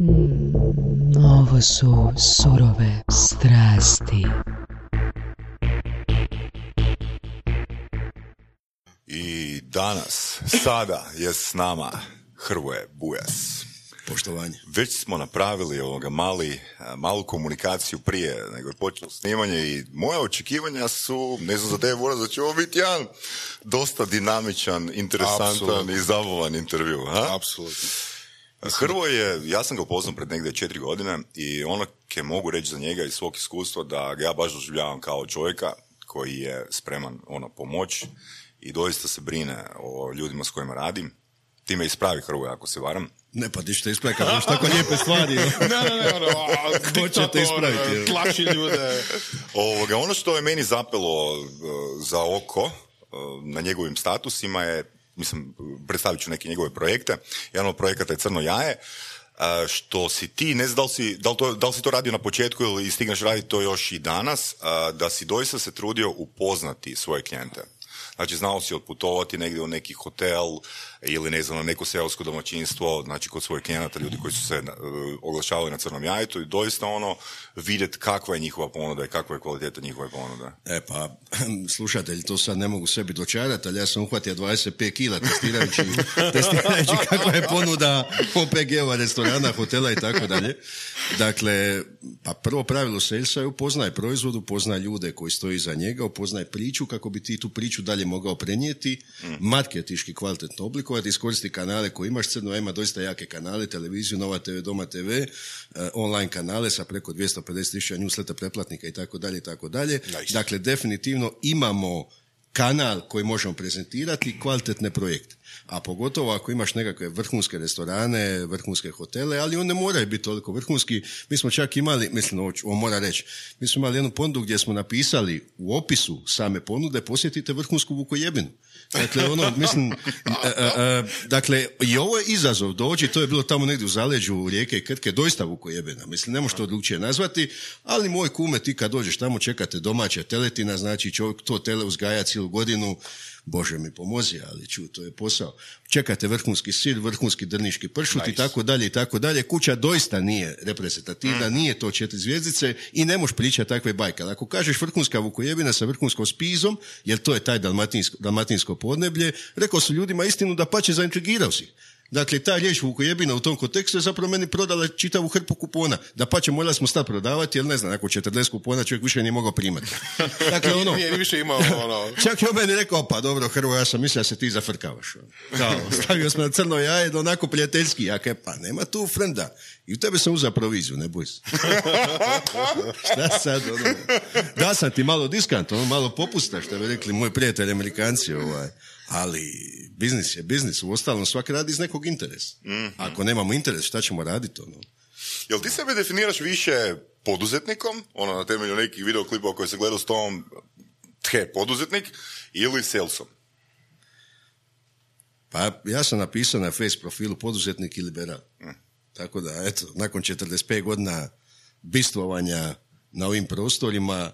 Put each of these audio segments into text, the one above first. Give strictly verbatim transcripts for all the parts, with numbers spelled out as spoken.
Mm, ovo su surove strasti. I danas, sada je s nama Hrvoje Bujas. Poštovanje. Već smo napravili ovoga mali, malu komunikaciju prije nego je počelo snimanje i moja očekivanja su, ne znam za tebe, Boras, da će ovo biti jedan dosta dinamičan, interesantan Absolutno. I zabavan intervju. Ha? Apsolutno. Hrvoje, ja sam ga upoznao pred negdje četiri godine i ono ke mogu reći za njega iz svog iskustva da ga ja baš doživljavam kao čovjeka koji je spreman ono pomoć i doista se brine o ljudima s kojima radim. Ti me ispravi, Hrvoje, ako se varam. Ne, pa ti ćete ispraviti, kad imaš tako lijepe stvari. ne, ne, ne, ono, ko će te ispraviti? Tlači ljude. Ovoga, ono što je meni zapelo uh, za oko uh, na njegovim statusima je, mislim, predstavit ću neke njegove projekte. Jedan od projekata je Crno jaje, uh, što si ti, ne znam da li si, da li to, da li si to radio na početku ili stigneš raditi to još i danas, uh, da si doista se trudio upoznati svoje klijente. Znači, znao si otputovati negdje u neki hotel ili, ne znam, na neko seosko domaćinstvo, znači kod svojih klijenata, ljudi koji su se uh, oglašavali na Crnom jajetu i doista ono, vidjeti kakva je njihova ponuda i kakva je kvaliteta njihove ponude. E pa, slušatelji, to sad ne mogu sebi dočarati, ali ja sam uhvatio dvadeset pet kila testirajući, testirajući kakva je ponuda O P G-ova, restorana, hotela i tako dalje. Dakle, pa prvo pravilo salesa je upoznaj proizvod, upoznaj ljude koji stoji iza njega, upoznaj priču kako bi ti tu priču dalje mogao prenijeti, mm. marketiški kvalitetno oblikovati, iskoristi kanale koje imaš. Crno ima doista jake kanale, televiziju, Nova te ve, Doma te ve, uh, online kanale sa preko dvjesto pedeset tisuća newsletter pretplatnika i tako dalje i tako dalje. Dakle, definitivno imamo kanal koji možemo prezentirati kvalitetne projekte. A pogotovo ako imaš nekakve vrhunske restorane, vrhunske hotele, ali on ne moraju biti toliko vrhunski. Mi smo čak imali, mislim, ovo mora reći, mi smo imali jednu ponudu gdje smo napisali u opisu same ponude, posjetite vrhunsku Vukojebinu. Dakle, ono, mislim, a, a, a, dakle, i ovo je izazov doći, to je bilo tamo negdje u zaleđu rijeke i Krke, doista Vukojebina. Mislim, ne možeš to drugčije nazvati, ali moj kume, ti kad dođeš tamo, čekate domaća teletina, znači čovjek to tele uzgaja cijelu godinu, Bože mi pomozi, ali ču, to je posao. Čekate vrhunski sir, vrhunski drniški pršut nice. I tako dalje i tako dalje. Kuća doista nije reprezentativna, mm. nije to četiri zvjezdice i ne možeš pričati takve bajke. Ali ako kažeš vrhunska Vukojebina sa vrhunskom spizom, jer to je taj dalmatinsko, dalmatinsko podneblje, rekao su ljudima istinu da pače zaintrigirao si. Dakle, ta riječ Vukojebina u tom kontekstu je zapravo meni prodala čitavu hrpu kupona. Da pače, morali smo stati prodavati, jer ne znam, nakon četrdeset kupona čovjek više nije mogao primati. Dakle, ono... Nije više imao ono... Čak je on meni rekao, pa dobro, Hrvo, ja sam mislio da se ti zafrkavaš. Kao, stavio sam na Crno jaje, da onako prijateljski. Ja kaj, pa nema tu frenda. I u tebe sam uzao proviziju, ne boj se. Šta sad, ono... Da sam ti malo diskant, ono, malo popusta, što bi rekli moji prijatelji Amerikanci, ovaj... Ali biznis je biznis, u ostalom svaki radi iz nekog interesa. Mm-hmm. Ako nemamo interes, šta ćemo raditi? Ono? Jel ti sebe definiraš više poduzetnikom, ono na temelju nekih videoklipova koje se gledao s tom, te poduzetnik, ili salesom? Pa ja sam napisao na face profilu poduzetnik i liberal. Mm. Tako da, eto, nakon četrdeset pet godina bistvovanja na ovim prostorima,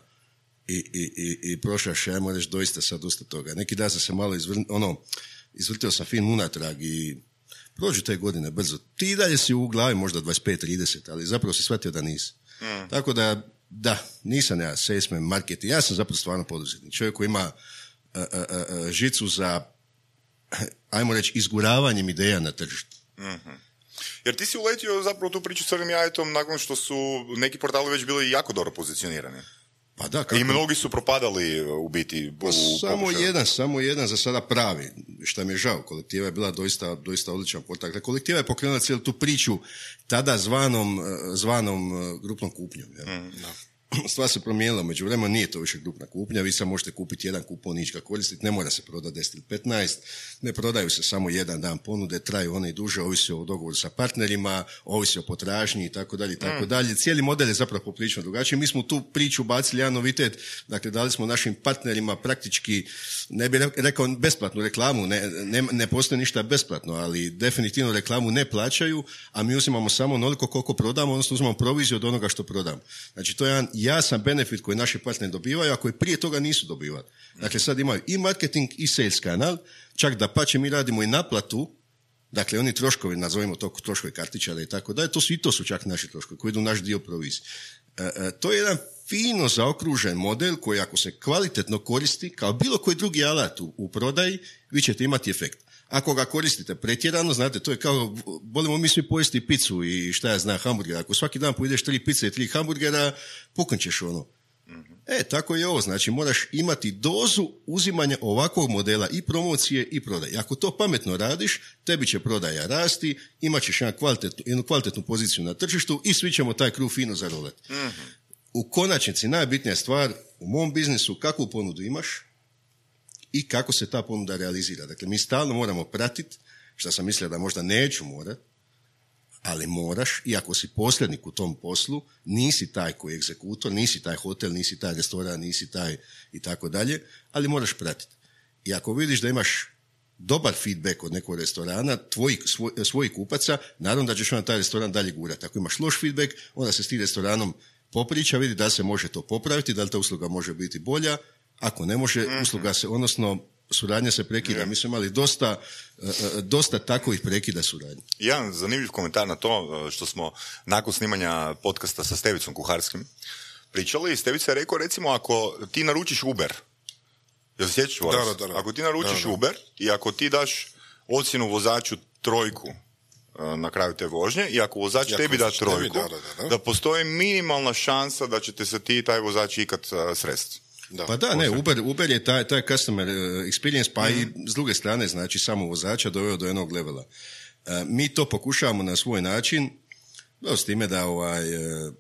I, i, i, i prošaš, ajmo reći, doista sad dosta toga. Neki dan sam se malo izvr... ono, izvrtio sam film unatrag i prođu te godine brzo. Ti i dalje si u glavi možda dvadeset pet trideset, ali zapravo si shvatio da nisi. Mm. Tako da, da, nisam ja salesman, marketing, ja sam zapravo stvarno poduzetnik. Čovjek koji ima a, a, a, žicu za, ajmo reći, izguravanjem ideja na tržištu. Mm-hmm. Jer ti si uletio zapravo tu priču s Crnim jajetom nakon što su neki portali već bili jako dobro pozicionirani. Pa da, kako... I mnogi su propadali u biti u, pa, samo pokušaju. jedan, samo jedan za sada pravi, što mi je žao. Kolektiva je bila doista, doista odličan portal. Kolektiva je pokrenula cijelu tu priču tada zvanom, zvanom grupnom kupnjom. Ja. Mm, da. Stvar se promijenila, među vremenu nije to više grupna kupnja, vi sad možete kupiti jedan kupon, nič ga koristiti, ne mora se prodati deset ili petnaest, ne prodaju se samo jedan dan ponude, traju one i duže, ovisi o dogovoru sa partnerima, ovisi o potražnji i tako dalje i tako dalje. Cijeli model je zapravo poprilično drugačiji. Mi smo tu priču bacili jedan novitet, dakle dali smo našim partnerima praktički, ne bih rekao besplatnu reklamu, ne, ne, ne postoji ništa besplatno, ali definitivno reklamu ne plaćaju, a mi uzimamo samo onoliko koliko prodamo, odnosno uzimamo proviziju od onoga što prodamo. Znači to je jedan jasan benefit koji naši partneri dobivaju, a koji prije toga nisu dobivali. Dakle, sad imaju i marketing i sales kanal, čak da pače mi radimo i naplatu Dakle, oni troškovi, nazovimo to troškovi kartičara i tako dalje, to su i to su čak naši troškovi koji idu naš dio provizije. E, e, to je jedan fino zaokružen model koji ako se kvalitetno koristi kao bilo koji drugi alat u, u prodaji, vi ćete imati efekt. Ako ga koristite pretjerano, znate, to je kao, volimo mi svi pojesti picu i šta ja znam, hamburgera. Ako svaki dan pojedeš tri pice i tri hamburgera, puknćeš ono. E, tako je ovo, znači moraš imati dozu uzimanja ovakvog modela i promocije i prodaje. Ako to pametno radiš, tebi će prodaja rasti, imat ćeš jedan kvalitetnu, jednu kvalitetnu poziciju na tržištu i svi ćemo taj kruh fino zarolati. Mm-hmm. U konačnici, najbitnija stvar u mom biznisu, kakvu ponudu imaš i kako se ta ponuda realizira. Dakle, mi stalno moramo pratiti, što sam mislio da možda neću morat, ali moraš, i ako si posrednik u tom poslu, nisi taj koji je egzekutor, nisi taj hotel, nisi taj restoran, nisi taj i tako dalje, ali moraš pratiti. I ako vidiš da imaš dobar feedback od nekog restorana, tvojih, svoj, svojih kupaca, naravno da ćeš onda taj restoran dalje gurati. Ako imaš loš feedback, onda se s tim restoranom popriča, vidi da se može to popraviti, da li ta usluga može biti bolja, ako ne može, mm-hmm. usluga se, odnosno suradnja se prekida. Yeah. Mi smo imali dosta, dosta takovih prekida suradnje. Jedan zanimljiv komentar na to što smo nakon snimanja podcasta sa Stevicom Kuharskim pričali i Stevica je rekao, recimo, ako ti naručiš Uber, jel se sjećaš vas? Da, da, da. Ako ti naručiš da, da. Uber i ako ti daš ocjenu vozaču trojku na kraju te vožnje i ako vozač I ako tebi da trojku, da, da, da. da postoji minimalna šansa da ćete se ti i taj vozač ikad uh, sresti. Da, pa da, ne, Uber, Uber je taj, taj customer experience, pa mm-hmm. i s druge strane, znači, samo vozača doveo do jednog levela. Uh, mi to pokušavamo na svoj način, no, s time da ovaj... Uh,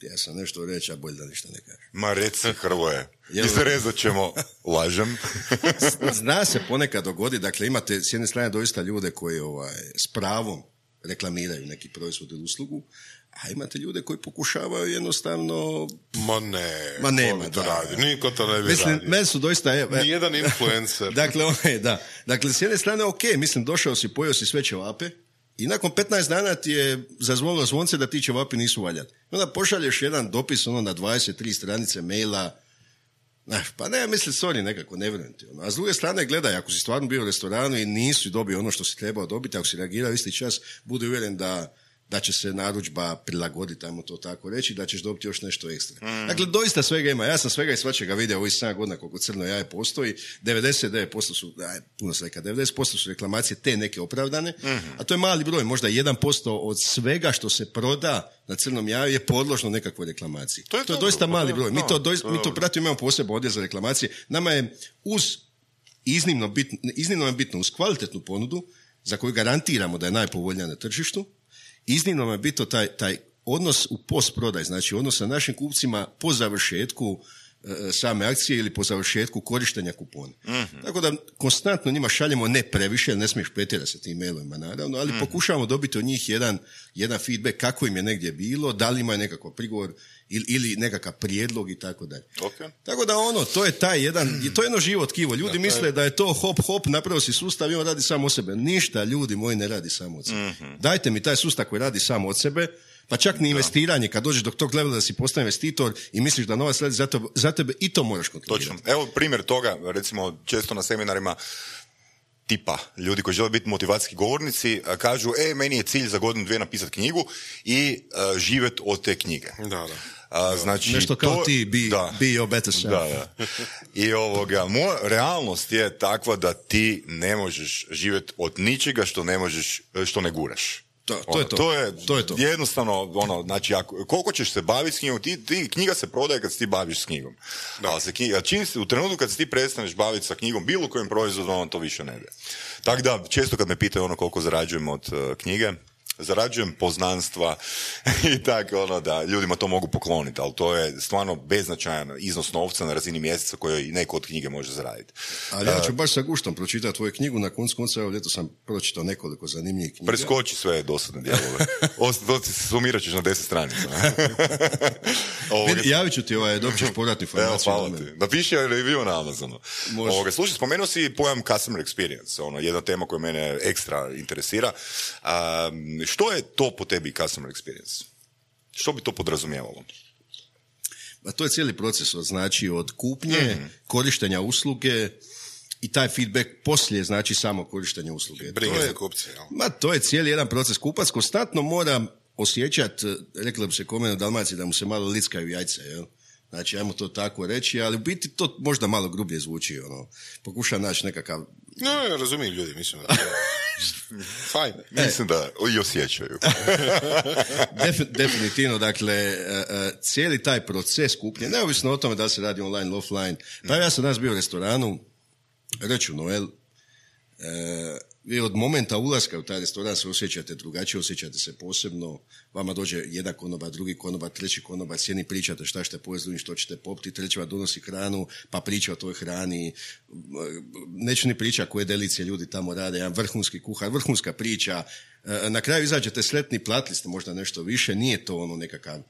ja sam nešto reći, a bolje da ništa ne kažem. Ma reci, Hrvoje, i se rezat ćemo, lažem. Zna se ponekad dogodi, dakle, imate s jedne strane doista ljude koji ovaj, s pravom reklamiraju neki proizvod ili uslugu, a imate ljude koji pokušavaju jednostavno... Ma ne, Ma nema, to da. radi, niko to ne bi mislim, radio. Meni su doista... E, Nijedan influencer. dakle, okay, da. Dakle, s jedne strane, ok, mislim, došao si, pojeo si sve ćevape i nakon petnaest dana ti je zazvonilo zvonce da ti ćevapi nisu valjati. Onda pošalješ jedan dopis ono na dvadeset tri stranice maila, nah, pa ne, mislim, sorry, nekako, ne vjerujem ti. Ono. A s druge strane, gledaj, ako si stvarno bio u restoranu i nisi dobio ono što si trebao dobiti, ako si reagirao isti čas, budi uvjeren da da će se narudžba prilagoditi, ajmo to tako reći, da ćeš dobiti još nešto ekstra. Mm. Dakle, doista svega ima. Ja sam svega i svačega vidio ovih sedam godina koliko Crno jaje postoji. devedeset devet posto su, aj, puno se reka, devedeset posto su reklamacije te neke opravdane, mm-hmm. a to je mali broj, možda jedan posto od svega što se proda na Crnom jaju je podložno nekakvoj reklamaciji. To je, to je doista mali broj. Mi to, doista, mi to pratimo, imamo posebno odjel za reklamacije. Nama je uz iznimno bitno, iznimno je bitno uz kvalitetnu ponudu za koju garantiramo da je najpovoljnija na tržištu. Iznimno nam je bitno taj, taj odnos u postprodaj, znači odnos sa našim kupcima po završetku e, same akcije ili po završetku korištenja kupona. Mm-hmm. Tako da konstantno njima šaljemo ne previše, ne smiješ pretjerati sa tim mailovima naravno, ali mm-hmm. pokušavamo dobiti od njih jedan, jedan feedback kako im je negdje bilo, da li imaju nekakav prigovor ili, ili nekakav prijedlog i tako dalje. Okay. Tako da ono, to je taj jedan, to je jedno živo tkivo. Ljudi da, misle je... da je to hop hop, napravio si sustav i on radi samo od sebe. Ništa, ljudi moji, ne radi samo od sebe. Mm-hmm. Dajte mi taj sustav koji radi samo od sebe, pa čak ni investiranje, kad dođeš do tog levela da si postane investitor i misliš da novac radi za, to, za tebe, i to moraš kontrolirati. Točno. Evo primjer toga, recimo često na seminarima tipa, ljudi koji žele biti motivacijski govornici, kažu, e, meni je cilj za godinu dvije napisati knjigu i uh, živjeti od te knjige. Da, da. A, znači, nešto kao to, ti, be, da, be your better self. Da, da. I ovoga, moja realnost je takva da ti ne možeš živjeti od ničega što ne možeš, što ne guraš. To, to, ono, je to. to je to je to. Jednostavno, ono, znači, ako, koliko ćeš se baviti s knjigom, ti, ti, knjiga se prodaje kad se ti baviš s knjigom. Da. Ali se knjiga, čim, u trenutku kad se ti prestaneš baviti sa knjigom, bilo kojim proizvodom, on to više ne ide. Tako da, često kad me pitaju ono koliko zarađujem od uh, knjige, zarađujem poznanstva i tako, ono, da ljudima to mogu pokloniti, ali to je stvarno beznačajan iznos novca na razini mjeseca koji i neko od knjige može zaraditi. Ali ja ću baš sa guštom pročitati tvoju knjigu, na koncu konca, evo, ljeto sam pročitao nekoliko zanimljivih knjiga. Preskoči sve dosadne dijelove. To ti sumirat ćeš na deset stranica. Vidi, javit ću ti, ovaj, dobit ćeš povratnu informaciju. Evo, hvala ti. Napiši review na Amazonu. Ovoga, slušaj, spomenuo si pojam customer experience, ono, jedna tema koja mene ekstra interesira. Um, Što je to po tebi customer experience? Što bi to podrazumijevalo? A to je cijeli proces, od, znači od kupnje, mm-hmm. korištenja usluge, i taj feedback poslije znači samo korištenje usluge. Brige To je- za kupce, jel? Ma, to je cijeli jedan proces. Kupac konstantno mora osjećati, rekla bi se kome u Dalmaciji, da mu se malo lickaju jajce, jel? Znači, ajmo to tako reći, ali u biti to možda malo grublje zvuči, ono. Pokuša naći nekakav... No, ja razumijem ljudi, mislim da... Fajn. Mislim da i osjećaju. Defi- definitivno, dakle, e, e, cijeli taj proces kupnje, neovisno o tome da li se radi online, offline. Pa ja sam danas bio u restoranu, reću Noel, e, vi od momenta ulaska u taj restoran se osjećate drugačije, osjećate se posebno, vama dođe jedan konobar, drugi konobar, treći konobar, s jednim pričate šta ćete pojesti, što ćete popiti, treći vam donosi hranu, pa priča o toj hrani, neću ni priča koje delicije ljudi tamo rade, jedan vrhunski kuhar, vrhunska priča, e, na kraju izađete sretni, platili ste možda nešto više, nije to ono nekakav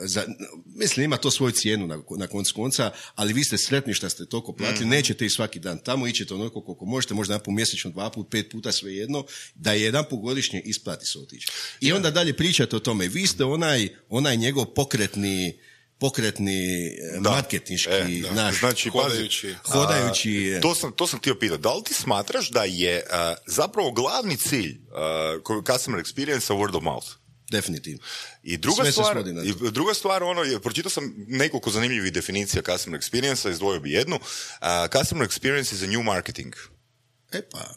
za, mislim ima to svoju cijenu na, na koncu konca, ali vi ste sretni što ste toliko platili, mm. nećete i svaki dan tamo, ićete onoliko koliko možete, možda jedan put mjesečno, dva put, pet puta, svejedno, da je jedan put godišnje isplati se otići. I onda dalje pričate o tome, vi ste onaj, onaj njegov pokretni pokretni Da. marketinški E, da. naš Znači, hodajući. pazi, hodajući a, to sam, to sam htio pitati. Da li ti smatraš da je a, zapravo glavni cilj a, customer experience word of mouth? definitivno. I druga Sve se stvar, svodi na to. i druga stvar, ono, je, pročitao sam nekoliko zanimljivih definicija customer experience, izdvojio bi jednu. A, customer experience is a new marketing. E pa,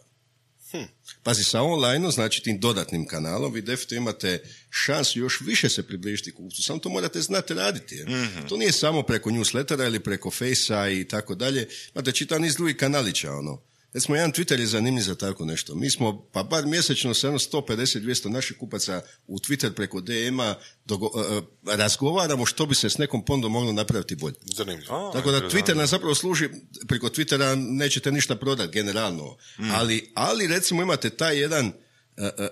hm. pazi, sa online, znači tim dodatnim kanalom, vi definitivno imate šansu još više se približiti kupcu, samo to morate znati raditi. Jer. Mm-hmm. To nije samo preko newslettera ili preko Facea i tako dalje, imate čitav niz drugih kanalića, ono. Recimo, jedan Twitter je zanimljiv za tako nešto. Mi smo, pa bar mjesečno sa sto pedeset do dvjesto naših kupaca u Twitter preko D M-a dogo, uh, razgovaramo što bi se s nekom ponudom moglo napraviti bolje. Zanimljivo. Tako da Twitter nam zapravo služi, preko Twittera nećete ništa prodati generalno, mm. ali, ali recimo imate taj jedan uh,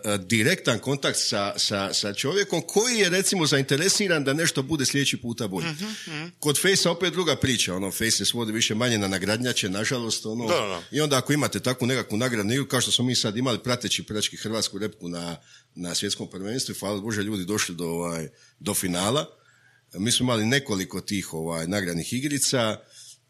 uh, direktan kontakt sa, sa, sa čovjekom koji je recimo zainteresiran da nešto bude sljedeći puta bolje. Mm-hmm. Kod Facea opet druga priča, ono, Face se svodi više manje na nagradnjače, nažalost, ono, Da, da. i onda ako imate takvu nekakvu nagradnu igru, kao što smo mi sad imali prateći prački hrvatsku repku na, na svjetskom prvenstvu, hvala Bože, ljudi došli do, ovaj, do finala. Mi smo imali nekoliko tih ovaj, nagradnih igrica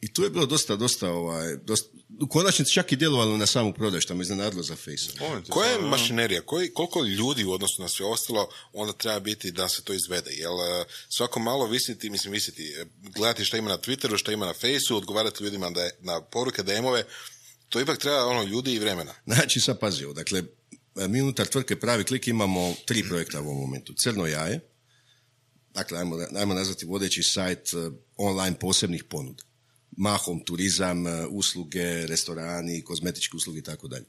i tu je bilo dosta, dosta, ovaj, dosta, u konačnici čak i djelovalo na samu prodaju, što me iznenadilo za Face. Koja je mašinerija, koji, koliko ljudi u odnosu na sve ostalo onda treba biti da se to izvede? Jel svako malo visiti, mislim visiti, gledati šta ima na Twitteru, šta ima na Faceu, odgovarati ljudima da je, na poruke, D M-ove, to ipak treba ono ljudi i vremena. Znači, sad pazio, dakle, mi unutar tvrtke Pravi klik imamo tri projekta u ovom momentu. Crno jaje, dakle, ajmo, ajmo nazvati vodeći sajt uh, online posebnih ponuda. Mahom turizam, uh, usluge, restorani, kozmetičke usluge i tako dalje.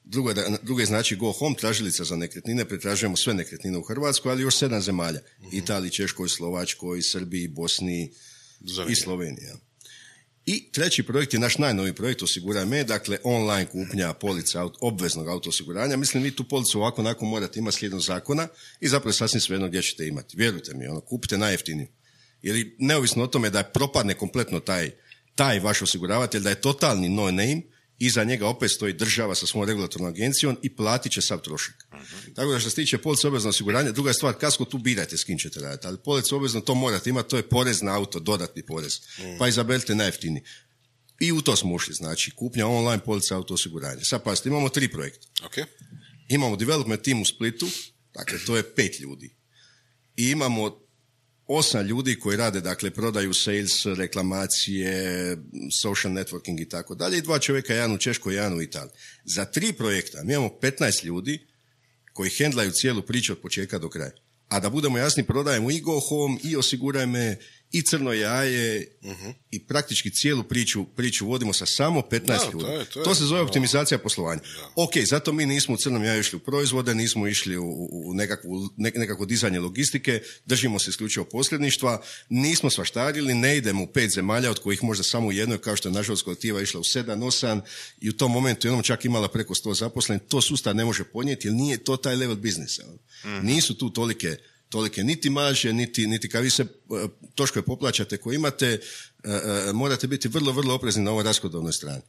Drugo, da, drugo je znači Go Home, tražilica za nekretnine, pretražujemo sve nekretnine u Hrvatskoj, ali još sedam zemalja. Mm-hmm. Italiji, Češkoj, Slovačkoj, Srbiji, Bosni Zanimljivo. I Sloveniji. I treći projekt je naš najnoviji projekt Osiguraj me, dakle online kupnja polica aut, obveznog auto osiguranja. Mislim, vi tu policu ovako onako morate imati slijedom zakona i zapravo sasvim svejedno gdje ćete imati. Vjerujte mi, ono, kupite najjeftiniju. Jer neovisno o tome da propadne kompletno taj, taj vaš osiguravatelj, da je totalni no name, iza njega opet stoji država sa svojom regulatornom agencijom i platit će sav trošak. Uh-huh. Tako da što se tiče police obvezno osiguranja, druga je stvar, kasko tu birajte s kim ćete raditi, ali police obvezno to morate imati, to je porez na auto, dodatni porez. Uh-huh. Pa izaberite najjeftiniji. I u to smo ušli, znači kupnja online police auto osiguranja. Sad pazite, imamo tri projekta. Okay. Imamo development team u Splitu, dakle to je pet ljudi. I imamo osam ljudi koji rade, dakle, prodaju, sales, reklamacije, social networking i tako dalje, i dva čovjeka, jedan u Češkoj, jedan u Italiji. Za tri projekta mi imamo petnaest ljudi koji hendlaju cijelu priču od početka do kraja. A da budemo jasni, prodajemo i Go Home, i Osiguraj me, i Crno jaje, uh-huh. i praktički cijelu priču, priču vodimo sa samo petnaest da, ljudi. To, je, to, je, to se zove no. optimizacija poslovanja. Da. Ok, zato mi nismo u Crnom jaju išli u proizvode, nismo išli u, u nekakvu, ne, nekakvo dizanje logistike, držimo se isključivo posredništva, nismo svaštarili, ne idemo u pet zemalja, od kojih možda samo u jednoj, kao što je nažalost kolektiva išla u sedam, osam, i u tom momentu jednom čak imala preko sto zaposlenih. To sustav ne može podnijeti, jer nije to taj level biznisa. Mm. Nisu tu tolike tolike niti marže, niti, niti kad vi se uh, troškove poplaćate koje imate, uh, uh, morate biti vrlo, vrlo oprezni na ovoj rashodovnoj strani.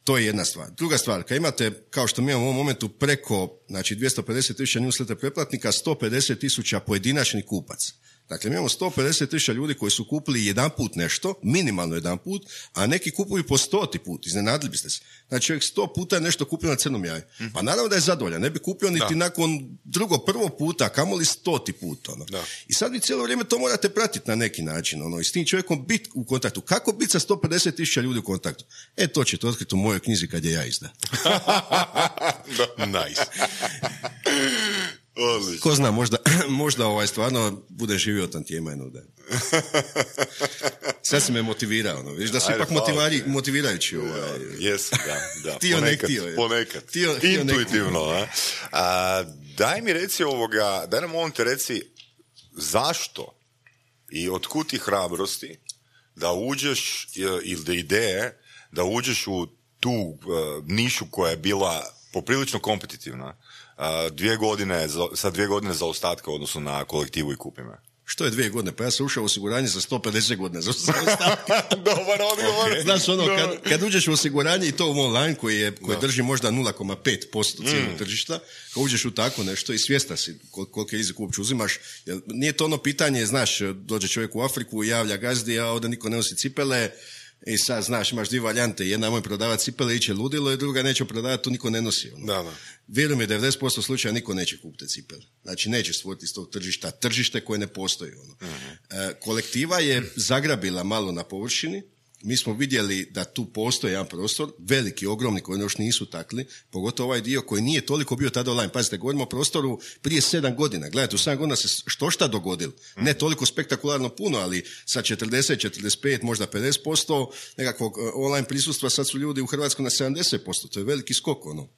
To je jedna stvar. Druga stvar, kad imate, kao što mi imamo u ovom momentu, preko, znači, dvjesto pedeset tisuća newsletter pretplatnika, sto pedeset tisuća pojedinačnih kupaca. Dakle, mi imamo sto pedeset tisuća ljudi koji su kupili jedan put nešto, minimalno jedan put, a neki kupuju po stoti put, iznenadili biste se. Znači, čovjek sto puta je nešto kupio na crnom jaju. Pa naravno da je zadovoljan, ne bi kupio niti da. nakon drugo prvo puta, kamoli stoti put. Ono. I sad vi cijelo vrijeme to morate pratiti na neki način, ono, i s tim čovjekom biti u kontaktu. Kako biti sa sto pedeset tisuća ljudi u kontaktu? E, to ćete otkriti u mojoj knjizi kad je ja izda. Nice. Odlično. Ko zna, možda, možda ovaj stvarno bude živio tam tijema jednog dana. Sad si me motivirao, no. Viš da su ipak motivari, motivirajući. Ovaj. Jesu, da, da. Tio ponekad, nek tio. Ponekad, tio, intuitivno. A? A, daj mi reci ovoga, daj nam ovom te reci zašto i otkud ti hrabrosti da uđeš, ili da ideje, da uđeš u tu uh, nišu koja je bila poprilično kompetitivna, uh, dvije godine, sa dvije godine zaostatka u odnosu na kolektivu i Kupi me. Što je dvije godine? Pa ja sam ušao u osiguranje za sto pedeset godina zaostatka. Dobar odgovor. Okay. Znaš, ono, kad, kad uđeš u osiguranje i to u online koji, je, koji drži možda nula zarez pet posto cijelog mm. tržišta, kad uđeš u tako nešto i svjestan si kol, koliki rizik uopće uzimaš, jer nije to ono pitanje, znaš, dođe čovjek u Afriku, javlja gazdi, a ovdje niko ne nosi cipele, i sad, znaš, imaš dvije varijante, jedna moj prodavati cipele, iće ludilo, i druga neće prodavati, to niko ne nosi. Ono. Da, da. Vjerujem je, devedeset posto slučaja niko neće kupiti cipele. Znači, neće stvoriti iz tog tržišta tržište koje ne postoji. Ono. Uh-huh. E, kolektiva je zagrabila malo na površini, mi smo vidjeli da tu postoji jedan prostor, veliki, ogromni, koji još nisu takli, pogotovo ovaj dio koji nije toliko bio tada online. Pazite, govorimo o prostoru prije sedam godina. Gledajte, u sedam godina se što šta dogodilo. Ne toliko spektakularno puno, ali sa četrdeset, četrdeset pet, možda pedeset posto nekakvog online prisustva, sad su ljudi u Hrvatskoj na sedamdeset posto. To je veliki skok, ono.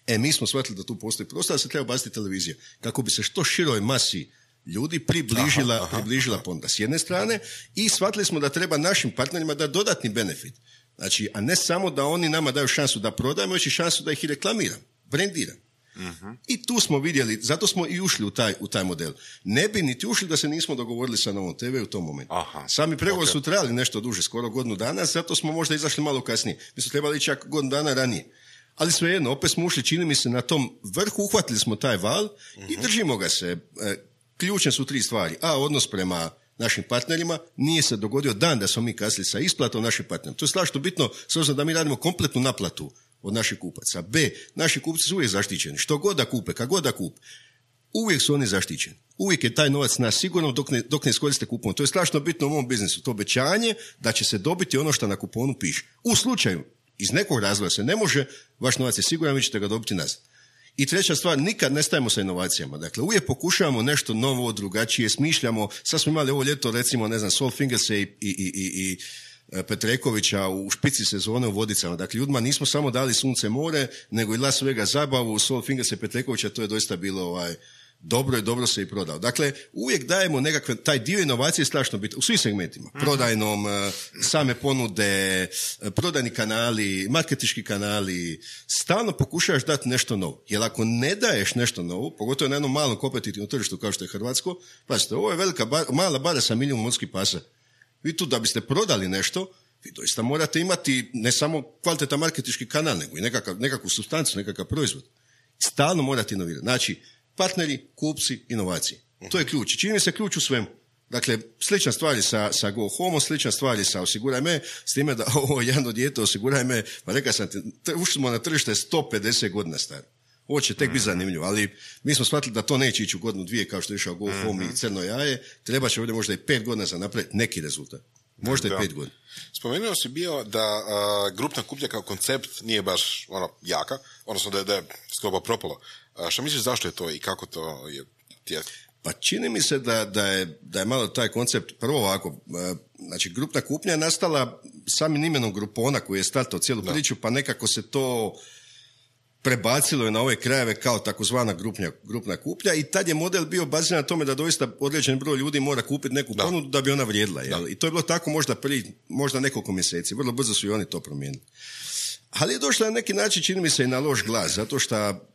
E, mi smo shvatili da tu postoji prostor, da se treba baciti televizija. Kako bi se što široj masi ljudi približila, aha, aha, približila ponuda s jedne strane, i shvatili smo da treba našim partnerima da dodatni benefit. Znači, a ne samo da oni nama daju šansu da prodajemo, već i šansu da ih i reklamiram, brendiram. Uh-huh. I tu smo vidjeli, zato smo i ušli u taj, u taj model. Ne bi niti ušli da se nismo dogovorili sa Novom te ve u tom momentu. Aha. Sami pregovori okay. su trajali nešto duže, skoro godinu dana, zato smo možda izašli malo kasnije. Mi smo trebali čak godinu dana ranije. Ali svejedno, opet smo ušli, čini mi se, na tom vrhu, uhvatili smo taj val uh-huh. i držimo ga se. Ključne su tri stvari. A, odnos prema našim partnerima. Nije se dogodio dan da smo mi kasnili sa isplatom našim partnerima. To je strašno bitno, s obzirom da mi radimo kompletnu naplatu od naših kupaca. B, naši kupci su uvijek zaštićeni. Što god da kupe, kad god da kupe, uvijek su oni zaštićeni. Uvijek je taj novac na sigurno dok ne, dok ne iskoriste kupon. To je strašno bitno u mom biznisu. To obećanje da će se dobiti ono što na kuponu piše. U slučaju, iz nekog razloga se ne može, vaš novac je siguran, vi ćete ga dobiti nazad. I treća stvar, nikad ne stajemo sa inovacijama. Dakle, uvijek pokušavamo nešto novo, drugačije, smišljamo. Sad smo imali ovo ljeto, recimo, ne znam, Sol Fingerse i, i, i, i Petrekovića u špici sezone u Vodicama. Dakle, ljudima nismo samo dali sunce more, nego i Las Vegas zabavu, Sol Fingerse i Petrekovića, to je doista bilo ovaj, dobro i dobro se i prodao. Dakle, uvijek dajemo nekakve, taj dio inovacije je strašno bitno, u svim segmentima. Prodajnom, same ponude, prodajni kanali, marketinški kanali, stalno pokušaš dati nešto novo. Jer ako ne daješ nešto novo, pogotovo na jednom malom kompetitivnom tržištu kao što je Hrvatsko, pazite, ovo je velika bar, mala bara sa milijun morskih pasa. Vi tu da biste prodali nešto, vi doista morate imati ne samo kvalitetan marketinški kanal, nego i nekakav, nekakvu supstancu, nekakav proizvod. Stalno morate inovirati. Znači, partneri, kupci, inovacije. To je ključ. Čini mi se ključ u svemu. Dakle, slična stvari sa, sa Go Home, slična stvari sa Osiguraj me, s time da ovo jedno dijete Osiguraj me, pa rekao sam te, ušli smo na tržište sto pedeset godina staro. Ovo će tek biti zanimljivo, ali mi smo shvatili da to neće ići u godinu dvije kao što je išao Go Home i Crno jaje, treba će ovdje možda i pet godina za napraviti neki rezultat. Možda da. i pet godina. Spomenuo si bio da a, grupna kupnja kao koncept nije baš ono, jaka, odnosno da je, da je skoro propalo. A, što misliš zašto je to i kako to je tijek? Pa čini mi se da, da, je, da je malo taj koncept prvo ovako, znači grupna kupnja je nastala samim imenom Grupona koji je startao cijelu da. priču, pa nekako se to prebacilo je na ove krajeve kao takozvana grupnja, grupna kupnja i tad je model bio baziran na tome da doista određen broj ljudi mora kupiti neku da. ponudu da bi ona vrijedila. Jel? I to je bilo tako možda prije, možda nekoliko mjeseci. Vrlo brzo su i oni to promijenili. Ali je došlo na neki način, čini mi se, i na loš glas, zato što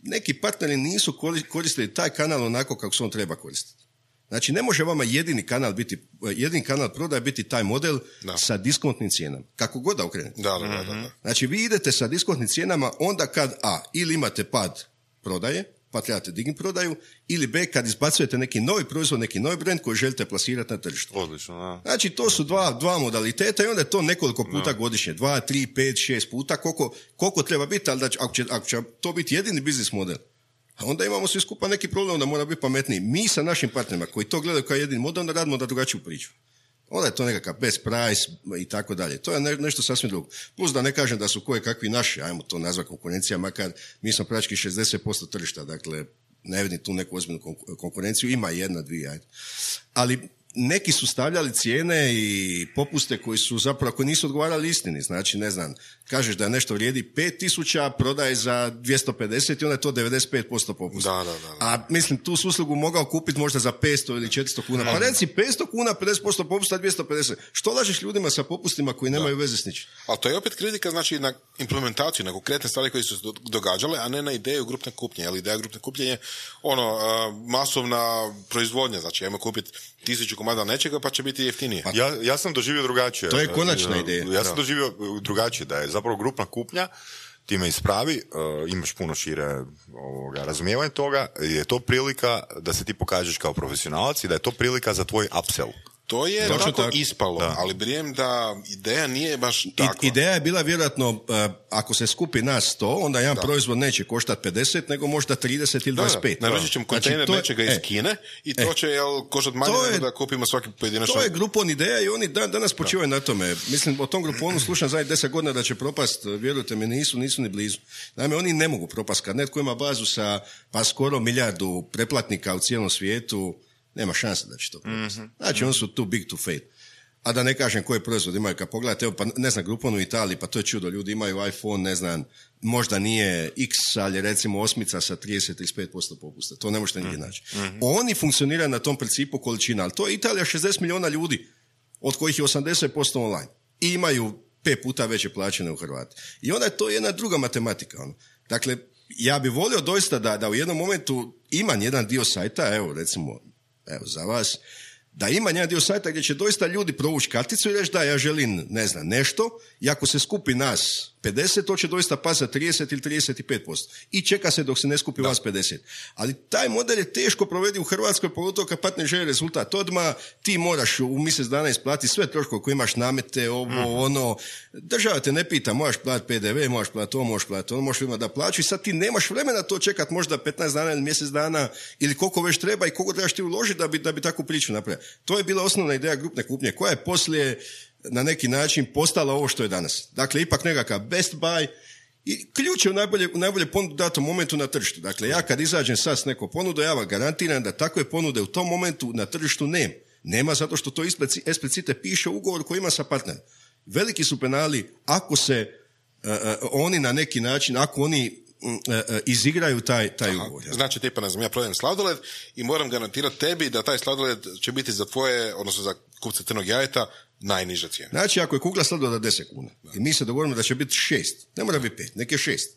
neki partneri nisu koristili taj kanal onako kako se on treba koristiti. Znači, ne može vama jedini kanal biti, jedini kanal prodaje biti taj model da. sa diskontnim cijenama. Kako god da okrenete. Da, da, da, da. Znači, vi idete sa diskontnim cijenama onda kad a, ili imate pad prodaje, pa trebate dignuti prodaju, ili B, kad izbacujete neki novi proizvod, neki novi brand koji želite plasirati na tržištu. Odlično, da. Znači, to su dva, dva modaliteta i onda je to nekoliko puta no. godišnje. Dva, tri, pet, šest puta, koliko, koliko treba biti, ali da će, ako, će, ako će to biti jedini biznis model, onda imamo svi skupa neki problem da mora biti pametniji. Mi sa našim partnerima koji to gledaju kao jedini model, onda radimo da drugačiju priču. Onda je to nekakav best price i tako dalje. To je ne, nešto sasvim drugo. Plus da ne kažem da su koje kakvi naši, ajmo to nazvati konkurencija, makar mi smo praktički šezdeset posto tržišta, dakle ne vidim tu neku ozbiljnu konkurenciju, ima jedna, dvije, ajde. Ali neki su stavljali cijene i popuste koji su zapravo, koji nisu odgovarali istini. Znači, ne znam, kažeš da nešto vrijedi pet tisuća, prodaje za dvjesto pedeset i onda je to devedeset pet posto popusta. Da, da, da, da. A mislim, tu su uslugu mogao kupiti možda za petsto ili četiristo kuna. Pa reci petsto kuna, pedeset posto popusta, dvjesto pedeset. Što lažeš ljudima sa popustima koji nemaju da. veze s ničim? Ali to je opet kritika, znači, na implementaciju, na konkretne stvari koje su se događale, a ne na ideju grupne kupnje. Jer ideja grupne kupnje je ono, masovna proizvodnja. Znači, ajmo kupiti tisuću komada nečega, pa će biti jeftinije. Ja, ja sam doživio drugačije. To je konačna ideja. Ja sam da. doživio drugačije, da je zapravo grupna kupnja, ti me ispravi, uh, imaš puno šire ovoga, razumijevanje toga, je to prilika da se ti pokažeš kao profesionalac i da je to prilika za tvoj upsell. To je Točno tako tako. ispalo, da. Ali brijem da ideja nije baš takva. I, ideja je bila vjerojatno, uh, ako se skupi nas sto, onda jedan da. proizvod neće koštati pedeset, nego možda trideset ili dvadeset pet. Naručit ćemo kontejner znači, nečega iz e, Kine i to e, će jel, koštati manje nego da kupimo svaki pojedinačno. To je grupon ideja i oni dan, danas počivaju na tome. Mislim, o tom gruponu slušam zadnjih deset godina da će propast, vjerujte mi, nisu, nisu ni blizu. Naime, oni ne mogu propast. Kad netko ima bazu sa pa skoro milijardu preplatnika u cijelom svijetu, nema šanse da će to propast. Mm-hmm. Znači, oni su too big to fail. A da ne kažem koje proizvod imaju, kad pogledate, evo, pa ne znam, Groupon u Italiji, pa to je čudo, ljudi imaju iPhone, ne znam, možda nije X, ali recimo osmica sa trideset do trideset pet posto popusta, to ne možete nigdje naći. Mm-hmm. Oni funkcioniraju na tom principu količina, ali to je Italija šezdeset milijuna ljudi, od kojih je osamdeset posto online. I imaju pet puta veće plaće nego Hrvati. I onda je to jedna druga matematika. Ono. Dakle, ja bih volio doista da, da u jednom momentu imam jedan dio sajta, evo recimo, evo za vas, da ima jedan dio sajta gdje će doista ljudi provući karticu i reći da ja želim, ne znam, nešto, i ako se skupi nas pedeset, to će doista pasti za trideset ili trideset pet posto. I čeka se dok se ne skupi da. vas pedeset. Ali taj model je teško provedi u Hrvatskoj, pogotovo kad partner želi rezultat odmah, ti moraš u mjesec dana isplatiti sve troškove koje imaš, namete, ovo, mm. ono, država te ne pita, možeš platiti P D V, možeš platiti ovo, možeš platiti ono, možeš imati da plaću i sad ti nemaš vremena to čekat možda petnaest dana ili mjesec dana ili koliko već treba i koliko trebaš ti uložiti da bi, da bi takvu priču napravio. To je bila osnovna ideja grupne kupnje, koja je poslije na neki način postala ovo što je danas. Dakle, ipak nekakav best buy i ključ je u najbolje, u najbolje ponudu datom momentu na tržištu. Dakle, ja kad izađem sad s neko ponudu, ja vam garantiram da takve ponude u tom momentu na tržištu nema. Nema zato što to eksplicite piše u ugovoru koji ima sa partnerom. Veliki su penali ako se uh, uh, oni na neki način, ako oni uh, uh, izigraju taj, taj Aha, ugovor. Ja. Znači, tipa, ne znam, ja prodajem sladoled i moram garantirati tebi da taj sladoled će biti za tvoje, odnosno za kupce crnog jajeta, najniža cijena. Znači, ako je kugla sladoleda deset kuna da. i mi se dogovorimo da će biti šest, ne mora biti pet, neke šest.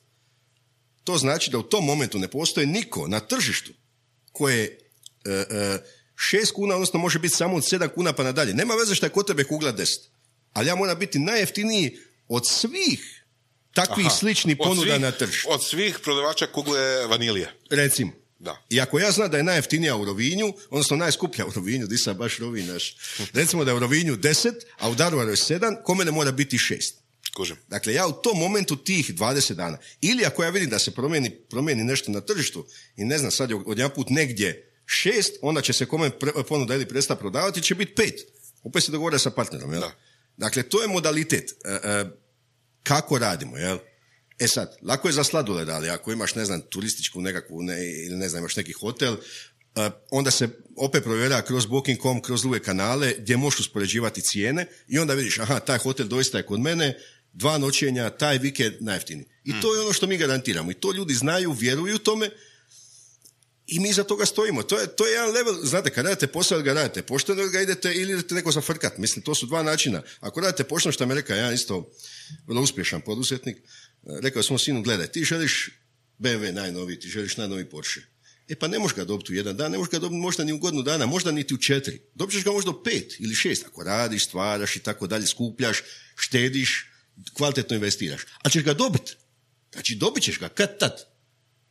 To znači da u tom momentu ne postoji niko na tržištu koje uh, uh, šest kuna, odnosno može biti samo od sedam kuna pa nadalje. Nema veze što je kod tebe kugla deset. Ali ja moram biti najjeftiniji od svih takvih Aha, sličnih ponuda svih, na tržištu. Od svih prodavača kugle vanilije. Recimo. Da. I ako ja znam da je najjeftinija u Rovinju, odnosno najskuplja u Rovinju, di sam baš Rovinj naš, recimo da je u Rovinju deset, a u Daruvaru je sedam, kome ne mora biti šest. Kužim. Dakle, ja u tom momentu tih dvadeset dana, ili ako ja vidim da se promijeni, promijeni nešto na tržištu i ne znam, sad je odjedan put negdje šest, onda će se kome ponuda ili prestati prodavati, će biti pet. Opet se dogovore sa partnerom, jel? Da. Dakle, to je modalitet e, e, kako radimo, jel? E sad, lako je za sladoled, ali ako imaš, ne znam, turističku nekakvu, ne, ili ne znam, imaš neki hotel, uh, onda se opet provjera kroz booking dot com, kroz druge kanale, gdje možeš uspoređivati cijene i onda vidiš, aha, taj hotel doista je kod mene, dva noćenja, taj vikend najjeftiniji. I mm. to je ono što mi garantiramo. I to ljudi znaju, vjeruju tome i mi za toga stojimo. To je, to je jedan level, znate, kad radite posao, ga radite pošteno, ili ga idete, ili idete neko zafrkat. Mislim, to su dva načina. Ako radite pošteno, što me rekao, ja isto vrlo uspješan poduzetnik, rekao sam sinu, gledaj, ti želiš B M W najnoviji, ti želiš najnoviji Porsche. E pa ne možeš ga dobiti u jedan dan, ne možeš ga dobiti možda ni u godinu dana, možda niti u četiri. Dobit ćeš ga možda u pet ili šest, ako radiš, stvaraš i tako dalje, skupljaš, štediš, kvalitetno investiraš. Ali ćeš ga dobiti. Znači dobit ćeš ga kad tad.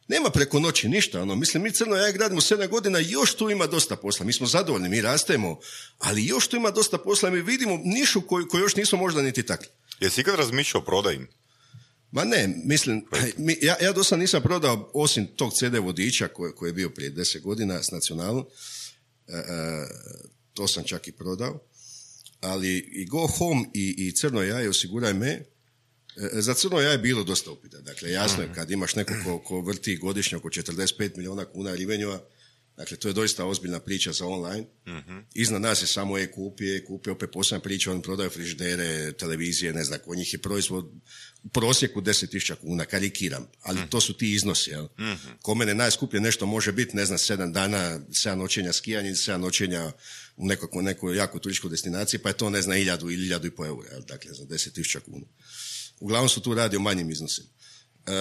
Nema preko noći ništa, ono, mislim, mi Crno jaje gradimo sedam godina, još tu ima dosta posla, mi smo zadovoljni, mi rastemo, ali još tu ima dosta posla, mi vidimo nišu koju, koju još nismo možda niti takli. Jesi ikad razmišljao o prodaji? Ma ne, mislim, mi, ja, ja dosta nisam prodao, osim tog ce de vodiča koji, koji je bio prije deset godina s Nacionalom, e, e, to sam čak i prodao, ali i Go Home i, i Crno jaje osiguraj me. Za Crno jaje je bilo dosta upita. Dakle, jasno je kad imaš neko ko, ko vrti godišnje oko četrdeset pet milijuna kuna revenue, dakle, to je doista ozbiljna priča za online. Iznad nas je samo e-kupi, e-kupi opet posebna priča, oni prodaju frižidere, televizije, ne znam, kod njih je proizvod u prosjeku deset tisuća kuna, karikiram, ali to su ti iznosi. Jel? Kod mene najskuplje nešto može biti, ne znam, sedam dana, sedam noćenja skijanja ili sedam noćenja u nekoj, nekoj jako turističkoj destinaciji, pa je to, ne znam, iljadu ili iljadu i po eura, jel? Dakle, za deset tisuća kuna. Uglavnom su tu radi o manjim iznosima. E,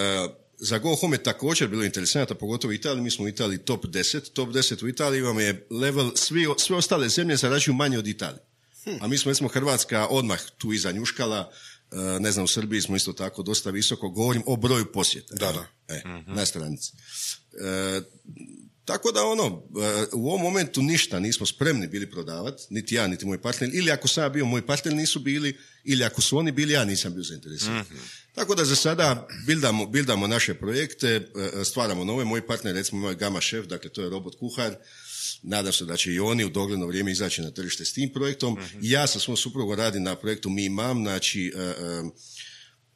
za Go Home je također bilo interesantno, pogotovo u Italiji, mi smo u Italiji top deset, top deset u Italiji vam je level, svi, sve ostale zemlje zarađuju manje od Italije. Hmm. A mi smo, recimo, Hrvatska odmah tu iza njuškala, e, ne znam, u Srbiji smo isto tako dosta visoko, govorim o broju posjeta. Da, da. E, mm-hmm. Na stranici. E, Tako da ono, u ovom momentu ništa nismo spremni bili prodavati, niti ja, niti moj partner, ili ako sam ja bio, moj partner nisu bili, ili ako su oni bili, ja nisam bio zainteresiran. Mm-hmm. Tako da za sada bildamo, bildamo naše projekte, stvaramo nove, moj partner, recimo moj Gama Chef, dakle to je robot kuhar, nadam se da će i oni u dogledno vrijeme izaći na tržište s tim projektom. Mm-hmm. Ja sa svom suprugom radim na projektu Mi Mam, znači uh, uh,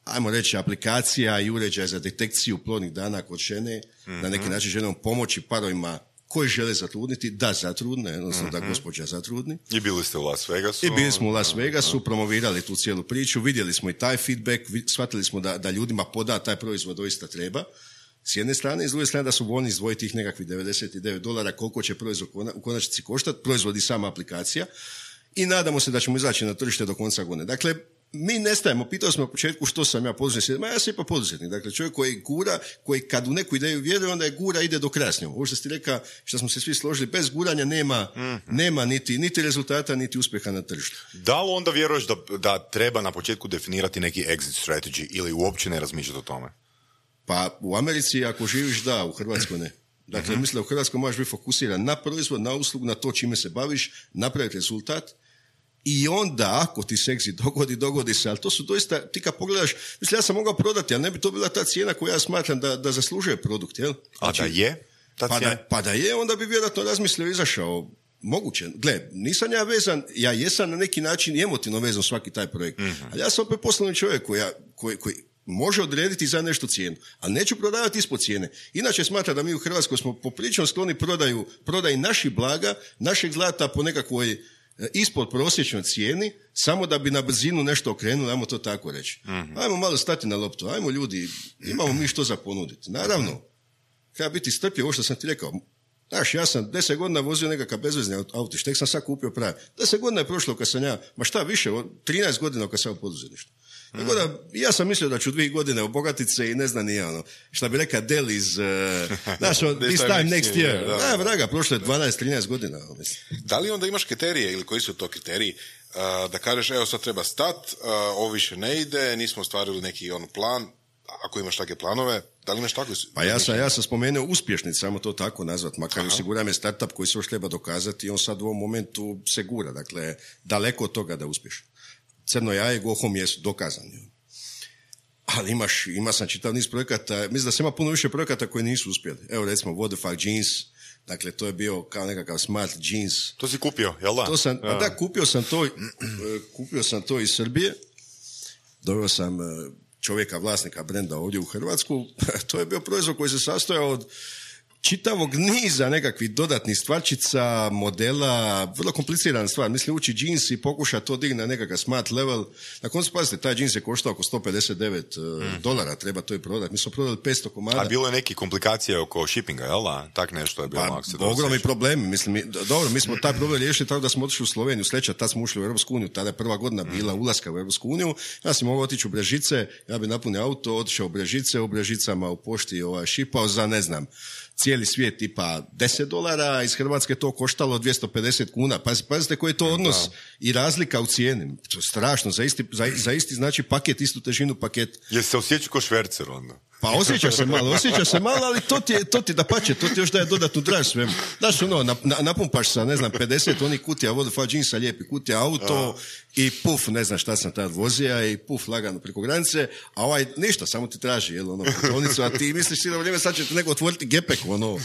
ajmo reći, aplikacija i uređaj za detekciju plodnih dana kod žene, mm-hmm. na neki način željom pomoći parovima koji žele zatrudniti, da zatrudne, odnosno mm-hmm. da gospođa zatrudni. I bili ste u Las Vegasu. I bili smo u Las Vegasu, promovirali tu cijelu priču, vidjeli smo i taj feedback, shvatili smo da, da ljudima poda taj proizvod doista treba. S jedne strane, i s druge strane da su voljni izdvojiti tih nekakvih devedeset devet dolara koliko će proizvod u konačnici koštati, proizvod i sama aplikacija. I nadamo se da ćemo izaći na tržište do konca godine. Dakle, mi nestajemo, pitao smo na početku što sam ja poduzetnik, ma ja sam ipak poduzetnik, dakle čovjek koji gura, koji kad u neku ideju vjeruje, onda je gura, ide do kraja s njom. Ovo što ste rekao, što smo se svi složili, bez guranja nema, mm-hmm. nema niti, niti rezultata, niti uspjeha na tržištu. Da li onda vjeruješ da, da treba na početku definirati neki exit strategy ili uopće ne razmišljati o tome? Pa u Americi ako živiš da, u Hrvatskoj ne. Dakle, mm-hmm. mislim da u Hrvatskoj možeš biti fokusiran na proizvod, na uslugu, na to čime se baviš, napraviti rezultat. I onda, ako ti se exit dogodi, dogodi se, ali to su doista, ti kad pogledaš, mislim, ja sam mogao prodati, ali ne bi to bila ta cijena koju ja smatram da, da zaslužuje produkt, jel? Znači, a da je? Ta pa, da, pa da je, onda bi vjerojatno razmislio i izašao. Moguće. Gle, nisam ja vezan, ja jesam na neki način i emotivno vezan svaki taj projekt, mm-hmm. ali ja sam opet poslovni čovjek koji, koji, koji može odrediti za nešto cijenu, ali neću prodavati ispod cijene. Inače smatram da mi u Hrvatskoj smo poprilično skloni prodaju, prodaju naših blaga, našeg zlata po nekakvoj ispod prosječnoj cijeni, samo da bi na brzinu nešto okrenuli, ajmo to tako reći. Mm-hmm. Ajmo malo stati na loptu, ajmo ljudi, imamo mi što za ponuditi. Naravno, treba biti strpljiv, ovo što sam ti rekao. Znaš, ja sam deset godina vozio nekakav bezvezni autić, tek sam sad kupio pravi. Deset godina je prošlo kad sam ja, ma šta više, trinaest godina kad sam u poduzetništvu. Mm. Tako da, ja sam mislio da ću dvije godine obogatiti se i ne znam nije ono, šta bi rekao Del iz, uh, znaš, this time next year. Da, da, vraga, prošlo je dvanaest trinaest godina. Mislim. Da li onda imaš kriterije ili koji su to kriteriji uh, da kažeš, evo sad treba stat, uh, ovo više ne ide, nismo ostvarili neki on plan, ako imaš takve planove, da li imaš takve? Pa ja sam, ja sam spomenuo uspješnic, samo to tako nazvat, makar osiguram je startup koji se još treba dokazati i on sad u ovom momentu se gura, dakle, daleko od toga da uspješ. Crno jaje, Go Home jesu dokazani. Ali imaš, ima sam čitav niz projekata, mislim da se ima puno više projekata koji nisu uspjeli. Evo recimo Vodafag Jeans, dakle to je bio kao nekakav smart jeans. To si kupio, jel da? To sam, ja. Da, kupio sam to, kupio sam to iz Srbije, doveo sam čovjeka, vlasnika brenda ovdje u Hrvatsku, to je bio proizvod koji se sastojao od čitavog niza nekakvih dodatnih stvarčica, modela, vrlo komplicirana stvar. Mislim, ući džins i pokuša to digna na nekakav smart level. Na koncu, pazite, taj džins je koštao oko sto pedeset devet mm. dolara, treba to i prodati. Mi smo prodali petsto komada. A bilo je neki komplikacije oko shippinga, jel da? Tak nešto je bilo. Pa, ogromni problemi. Mislim, mi, dobro, mi smo taj problem riješili tako da smo otišli u Sloveniju, sljedeća, tad smo ušli u Europsku uniju, tada je prva godina bila mm. ulaska u Europsku uniju. Ja sam mogao otići u Brežice, ja bi napunio auto, otišao u Brežice, u Brežicama u pošti ovaj, šipao za, ne znam, cijeli svijet tipa deset dolara, iz Hrvatske to koštalo dvjesto pedeset kuna. Pazite, pazite koji je to odnos da. I razlika u cijeni. To je strašno, za isti, za, za isti znači paket, istu težinu paket. Jesi se osjećao ko švercer onda? Pa osjeća se malo, osjeća se malo, ali to ti je, to ti da pače, to ti još daje dodatnu draž svemu. Znaš, ono, na, na, napumpaš sa, ne znam, pedeset onih kutija Vodafone jeansa, lijepi kutija auto i puf, ne znam šta sam tad vozija i puf, lagano preko granice, a ovaj ništa, samo ti traži, jel, ono, putovnicu, a ti misliš si da vrijeme sad će te neko otvoriti gepek, ono.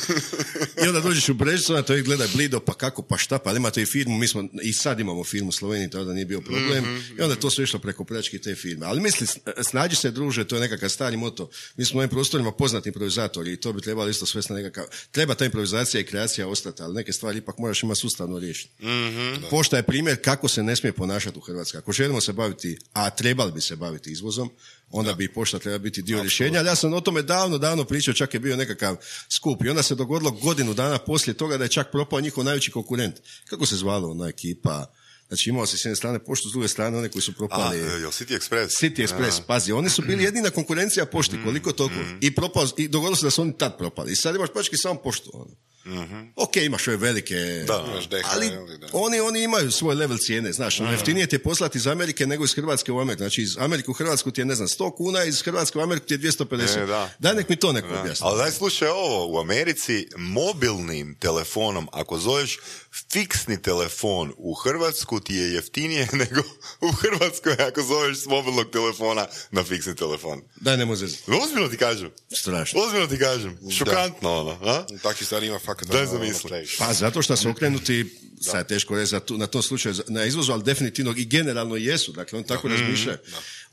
I onda dođeš u Brežicu, onda to i gledaj blido, pa kako, pa šta, pa imate i firmu, mi smo, i sad imamo firmu u Sloveniji, tada nije bio problem, mm-hmm. i onda to sve išlo preko pljački te firme. Ali misli, snađi se druže, to je nekakav stari moto. Mi smo u ovim prostorima poznati improvizatori i to bi trebalo isto svesti na nekakav... Treba ta improvizacija i kreacija ostati, ali neke stvari ipak moraš imati sustavno riješiti. Mm-hmm. Pošta je primjer kako se ne smije ponašati u Hrvatskoj. Ako želimo se baviti, a trebali bi se baviti izvozom, onda da. bi pošta treba biti dio rješenja. Ali ja sam o tome davno, davno pričao, čak je bio nekakav skup. I onda se dogodilo godinu dana poslije toga da je čak propao njihov najveći konkurent. Kako se zvalo ona ekipa? Znači imao se s jedne strane poštu, s druge strane one koji su propali... A, jel City Express? City Express, a. pazi, oni su bili jedina konkurencija pošti, koliko toliko. Mm. I, propao, i dogodilo se da su oni tad propali. I sad imaš pački samo poštu. Ono. Mm-hmm. Ok, imaš ove velike, da, ali da. Oni, oni imaju svoj level cijene, znaš, mm-hmm. jeftinije ti je poslati iz Amerike nego iz Hrvatske u Ameriku, znači iz Amerike u Hrvatsku ti je, ne znam, sto kuna, iz Hrvatske u Ameriku ti je dvjesto pedeset. E, da. Daj nek mi to neko objasni. Ali daj slušaj ovo, u Americi mobilnim telefonom, ako zoveš fiksni telefon u Hrvatsku ti je jeftinije nego u Hrvatskoj ako zoveš s mobilnog telefona na fiksni telefon. Daj, ne može. Ozbiljno ti kažem. Strašno. Ozbiljno ti kažem. Šokantno ono. A? Takvi stvari ima fakat. Daj zamisli. Pa zato što su okrenuti, sad je teško reći na tom slučaju na izvozu, ali definitivno i generalno jesu. Dakle, oni tako razmišljaju.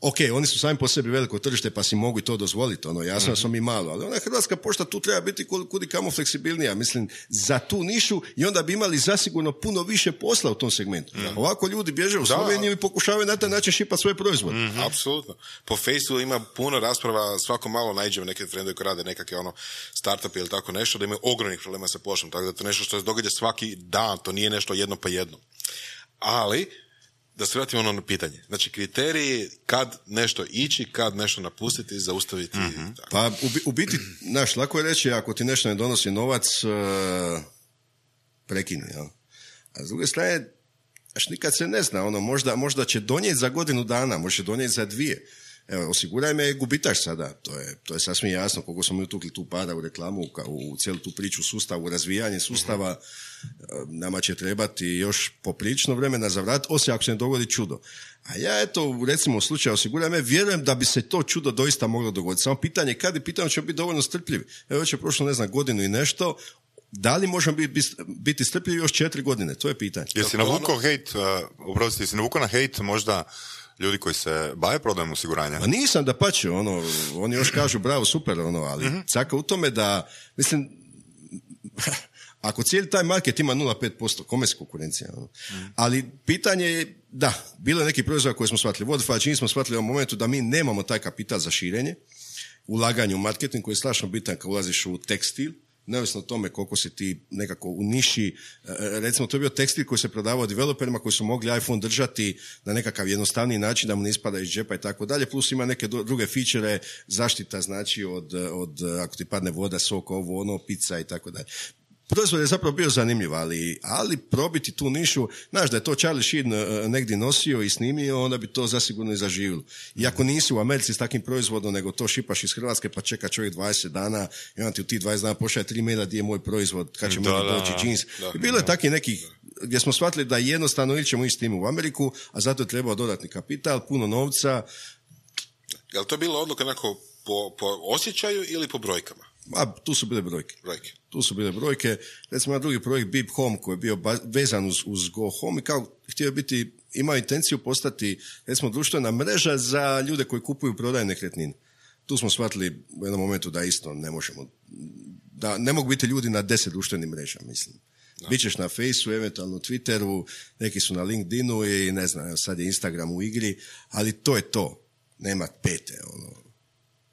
Ok, oni su sami po sebi veliko tržište pa si mogu i to dozvoliti. Ono, jasno da smo mi malo, ali ona Hrvatska pošta tu treba biti kudi kamo fleksibilnija. Mislim, za tu nišu i onda bi imali zasigurno puno više posla u tom segmentu. Mm. Ovako ljudi bježe u Sloveniju i pokušavaju na taj način šipati svoje proizvode. Mm-hmm. Apsolutno. Po Facebooku ima puno rasprava, svako malo naiđemo neke trendovi koji rade nekakve ono startupi ili tako nešto, da imaju ogromnih problema sa poštom. Tako da to nešto što se događa svaki dan, to nije nešto jedno pa jedno. Ali, da se vratimo ono na pitanje. Znači, kriteriji kad nešto ići, kad nešto napustiti, zaustaviti. Mm-hmm. Pa, u, u biti, znaš, lako je reći, ako ti nešto ne donosi novac, uh, prekini, jel? A s druge strane, až nikad se ne zna, ono, možda, možda će donijeti za godinu dana, može donijeti za dvije. Evo, osiguraj me gubitaš sada, to je, to je sasvim jasno, koliko smo mi utukli tu pada u reklamu, u, u cijelu tu priču sustavu, razvijanje sustava, mm-hmm. nama će trebati još poprilično vremena za vrat, osim ako se ne dogodi čudo. A ja, eto, recimo u slučaju osiguraj me, vjerujem da bi se to čudo doista moglo dogoditi. Samo pitanje kad i pitanje ćemo biti dovoljno strpljivi. Evo, već je prošlo, ne znam, godinu i nešto, da li možemo biti, biti strpljivi još četiri godine? To je pitanje. Jesi navukao hejt, uh, oprostite, jesi navukao na hejt možda ljudi koji se bave prodajom osiguranja? Pa nisam, da pače, ono, oni još kažu bravo, super, ono, ali mm-hmm. caka u tome da, mislim, ako cijeli taj market ima nula zarez pet posto, kome se konkurencija? Ono? Mm. Ali pitanje je, da, bilo je neki proizvod koji smo shvatili. Vodafone čini smo shvatili u momentu da mi nemamo taj kapital za širenje, ulaganje u marketing koji je strašno bitan kad ulaziš u tekstil, neovisno o tome koliko si ti nekako u niši, recimo to je bio tekstil koji se prodavao developerima koji su mogli iPhone držati na nekakav jednostavniji način da mu ne ispada iz džepa i tako dalje, plus ima neke druge feature, zaštita znači od, od ako ti padne voda, sok, ovo, ono, pizza i tako dalje. Proizvod je zapravo bio zanimljiv, ali, ali probiti tu nišu, znaš da je to Charlie Sheen uh, negdje nosio i snimio, onda bi to zasigurno i zaživilo. Iako nisi u Americi s takvim proizvodom, nego to šipaš iz Hrvatske, pa čeka čovjek dvadeset dana i onda ti u tih dvadeset dana pošalje tri maila gdje je moj proizvod, kad će meni doći džins. I bilo je takvih nekih gdje smo shvatili da jednostavno ili ćemo ići s tim u Ameriku, a zato je trebao dodatni kapital, puno novca. Je li to bila odluka onako po, po osjećaju ili po brojkama? A, tu su bile brojke. brojke. Tu su bile brojke. Recimo, drugi projekt Beep Home koji je bio vezan uz, uz Go Home i kao htio biti, imao intenciju postati, recimo, društvena mreža za ljude koji kupuju i prodaju nekretnine. Tu smo shvatili u jednom momentu da isto ne možemo, da ne mogu biti ljudi na deset društvenih mreža, mislim. Da. Bićeš na Faceu, eventualno Twitteru, neki su na LinkedInu i ne znam, sad je Instagram u igri, ali to je to. Nema pete, ono.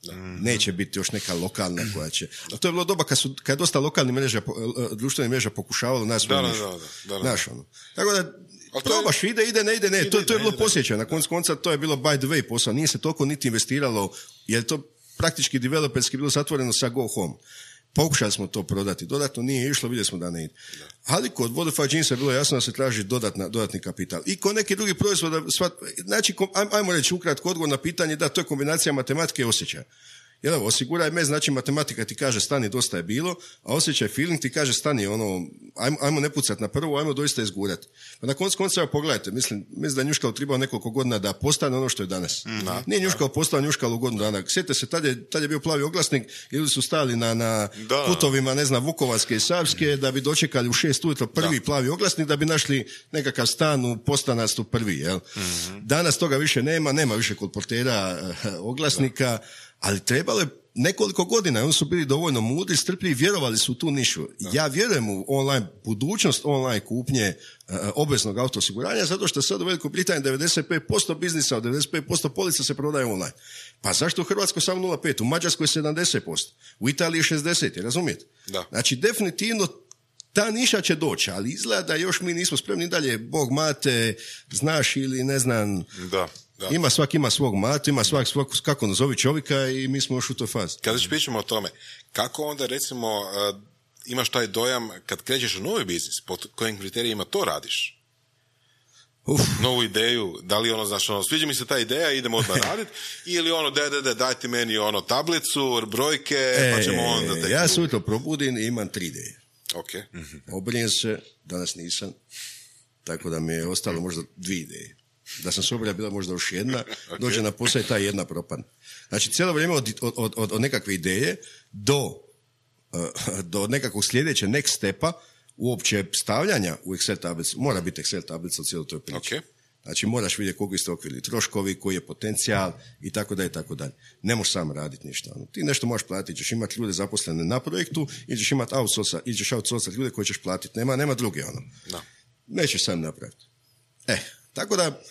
Da. Neće biti još neka lokalna koja će... A to je bilo doba kad, su, kad je dosta lokalnih mreža, društvenih mreža pokušavalo nas da, da, da, da, da. Naš, ono. Tako da probaš, ide, ide, ne ide, ne. Ide, to, to je bilo posjećaj. Na koncu konca to je bilo by the way posao. Nije se toliko niti investiralo, jer to praktički developerski bilo zatvoreno sa Go Home. Pokušali smo to prodati dodatno, nije išlo, vidjeli smo da ne ide. Ali kod Vodafone jeansa je bilo jasno da se traži dodatna, dodatni kapital. I kod neki drugi proizvoda, znači, ajmo reći ukratko odgovor na pitanje, da, to je kombinacija matematike i osjećaja. Jer evo, osiguraj me, znači matematika ti kaže stani, dosta je bilo, a osjećaj, feeling ti kaže stani, ono, ajmo, ajmo ne pucat na prvu, ajmo doista izgurat. Pa na koncu konca, pogledajte, mislim, mislim da je njuškalo trebao nekoliko godina da postane ono što je danas. Mm, da, Nije njuškalo postao njuškalo u godinu dana. Sjetite se, tad je, tad je bio plavi oglasnik, ljudi su stali na, na putovima, ne znam, Vukovarske i Savske, da bi dočekali u šest ujutro prvi da. plavi oglasnik, da bi našli nekakav stan u Postanastu prvi, jel? Mm-hmm. Danas toga više nema, nema više kolportera oglasnika, da. Ali trebalo je nekoliko godina, oni su bili dovoljno mudri, strpljivi, vjerovali su u tu nišu. Da. Ja vjerujem u online, budućnost online kupnje uh, obveznog auto osiguranja, zato što sad u Velikoj Britaniji devedeset pet posto biznisa, od devedeset pet posto polica se prodaje online. Pa zašto u Hrvatskoj samo nula zarez pet, u Mađarskoj sedamdeset posto, u Italiji šezdeset, razumijete? Da. Znači, definitivno ta niša će doći, ali izgleda da još mi nismo spremni dalje, Bog mate, znaš ili ne znam... Da. Da. Ima svak ima svog matu, ima svak, svak kako nazovi čovjeka i mi smo još u toj fazi. Kada još pričamo o tome, kako onda recimo uh, imaš taj dojam kad krećeš u novi biznis, pod kojim kriterijima to radiš? Uf. Novu ideju, da li ono, znaš, ono, sviđa mi se ta ideja, idemo odmah raditi, ili ono, daj, daj, daj, dajte meni ono tablicu, brojke, e, pa ćemo onda... Tek... Ja se ujutro probudim i imam tri ideje. Okay. Mm-hmm. Obrijem se, danas nisam, tako da mi je ostalo možda dvije ideje. Da sam sobra bila možda još jedna, okay. Dođe na posao i ta jedna propadne. Znači, cijelo vrijeme od, od, od, od nekakve ideje do, uh, do nekakvog sljedeće next stepa uopće stavljanja u Excel tablicu. Mora biti Excel tablica u cijeloj toj priči. Okay. Znači, moraš vidjeti koliko ste okvirili troškovi, koji je potencijal i tako dalje i tako dalje. Ne možeš sam raditi ništa. Ono. Ti nešto možeš platiti, ćeš imati ljude zaposlene na projektu ili ćeš imati outsourca, ili ćeš outsourcati ljude koje ćeš platiti. Nema, nema druge ono. No. Nećeš sam napraviti. Eh, tako da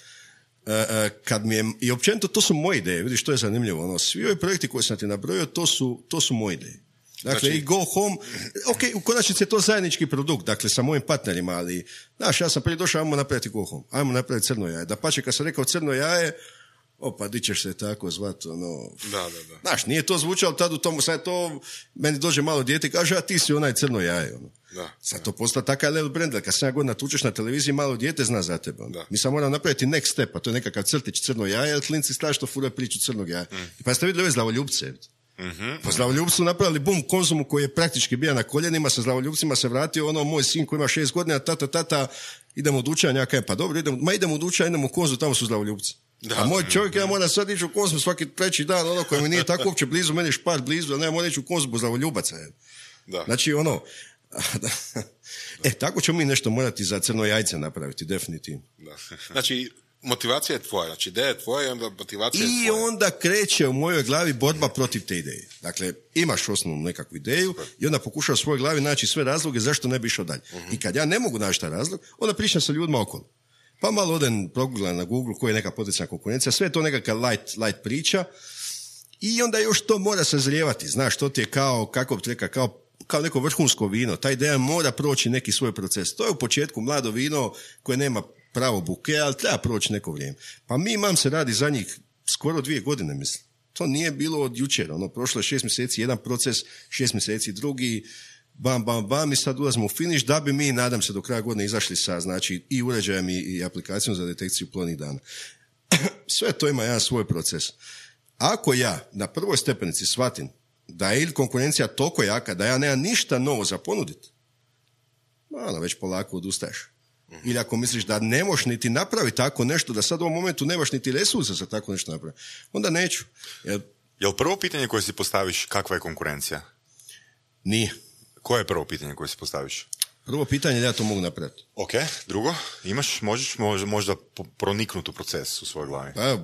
kad mi je, i općenito to su moje ideje, vidiš, to je zanimljivo, ono, svi ovi projekti koje sam ti nabrojio, to su, to su moje ideje. Dakle, znači... i Go Home, ok, u konačnici je to zajednički produkt, dakle, sa mojim partnerima, ali, znaš, ja sam prije došao, ajmo napraviti Go Home, ajmo napraviti crno jaje. Da pače, kad sam rekao crno jaje, opa, di ćeš se tako zvati, ono... Da, da, da. Znaš, nije to zvučalo tad u tomu, sad to, meni dođe malo dijete i kaže, a ti si onaj crno jaje, ono. Da, sad to postao takav level brand, kad sedam godina tučeš na televiziji, malo dijete zna za tebe. Ono. Mi sam moram napraviti next step, a to je nekakav crtić crno jaje, ali klinci strašno furaju priču crnog jaja. Mm. Pa ste vidjeli ove zlavoljubce? Mm-hmm. Pa zlavoljubci su napravili bum Konzumu koji je praktički bio na koljenima, sa zlavoljubcima se vratio, ono, moj sin koji ima šest godina, tata, tata, idemo u dućan, ja kajem, pa dobro, idemo, ma idemo u dućan, idemo u Konzum, tamo su zlavoljubci. Da. A moj čovjek, ja moram sad ići u Konzum svaki treći dan, ono koji mi nije tako uopće blizu, meni je Špar blizu, a ne, moram ići u Konzum zlavoljubaca. Da. Znači, ono, e, tako ćemo mi nešto morati za crno jajce napraviti, definitivno. Da. Znači, motivacija je tvoja, znači ideja je tvoja i onda motivacija je tvoja. I onda kreće u mojoj glavi borba protiv te ideje. Dakle, imaš osnovnu nekakvu ideju i onda pokušaš u svojoj glavi naći sve razloge zašto ne bi išao dalje. Uh-huh. I kad ja ne mogu naći taj razlog, onda pričam sa ljudima okolo. Pa malo odem proguglam na Google koja je neka potencijalna konkurencija, sve je to nekakav light, light priča i onda još to mora sazrijevati. Znaš, to ti je kao, kako bi rekao, kao kao neko vrhunsko vino. Ta ideja mora proći neki svoj proces. To je u početku mlado vino koje nema pravo buke, ali treba proći neko vrijeme. Pa mi imam se radi za njih skoro dvije godine, mislim. To nije bilo od jučer. Ono, prošlo je šest mjeseci jedan proces, šest mjeseci drugi, bam, bam, bam i sad ulazimo u finish da bi mi, nadam se, do kraja godine izašli sa, znači, i uređajem i, i aplikacijom za detekciju plodnih dana. Sve to ima jedan svoj proces. Ako ja na prvoj stepenici shvatim da je ili konkurencija toliko jaka da ja nemam ništa novo za ponuditi, malo već polako odustaješ. Mm-hmm. Ili ako misliš da ne možeš niti napraviti tako nešto, da sad u ovom momentu nemaš niti resursa za tako nešto napraviti, onda neću. Jer... Jel prvo pitanje koje si postaviš kakva je konkurencija? Nije. Koje je prvo pitanje koje si postaviš? Prvo pitanje, ja to mogu napraviti. Ok, drugo, imaš, možeš možda, možda proniknuti u proces u svojoj glavi? Pa,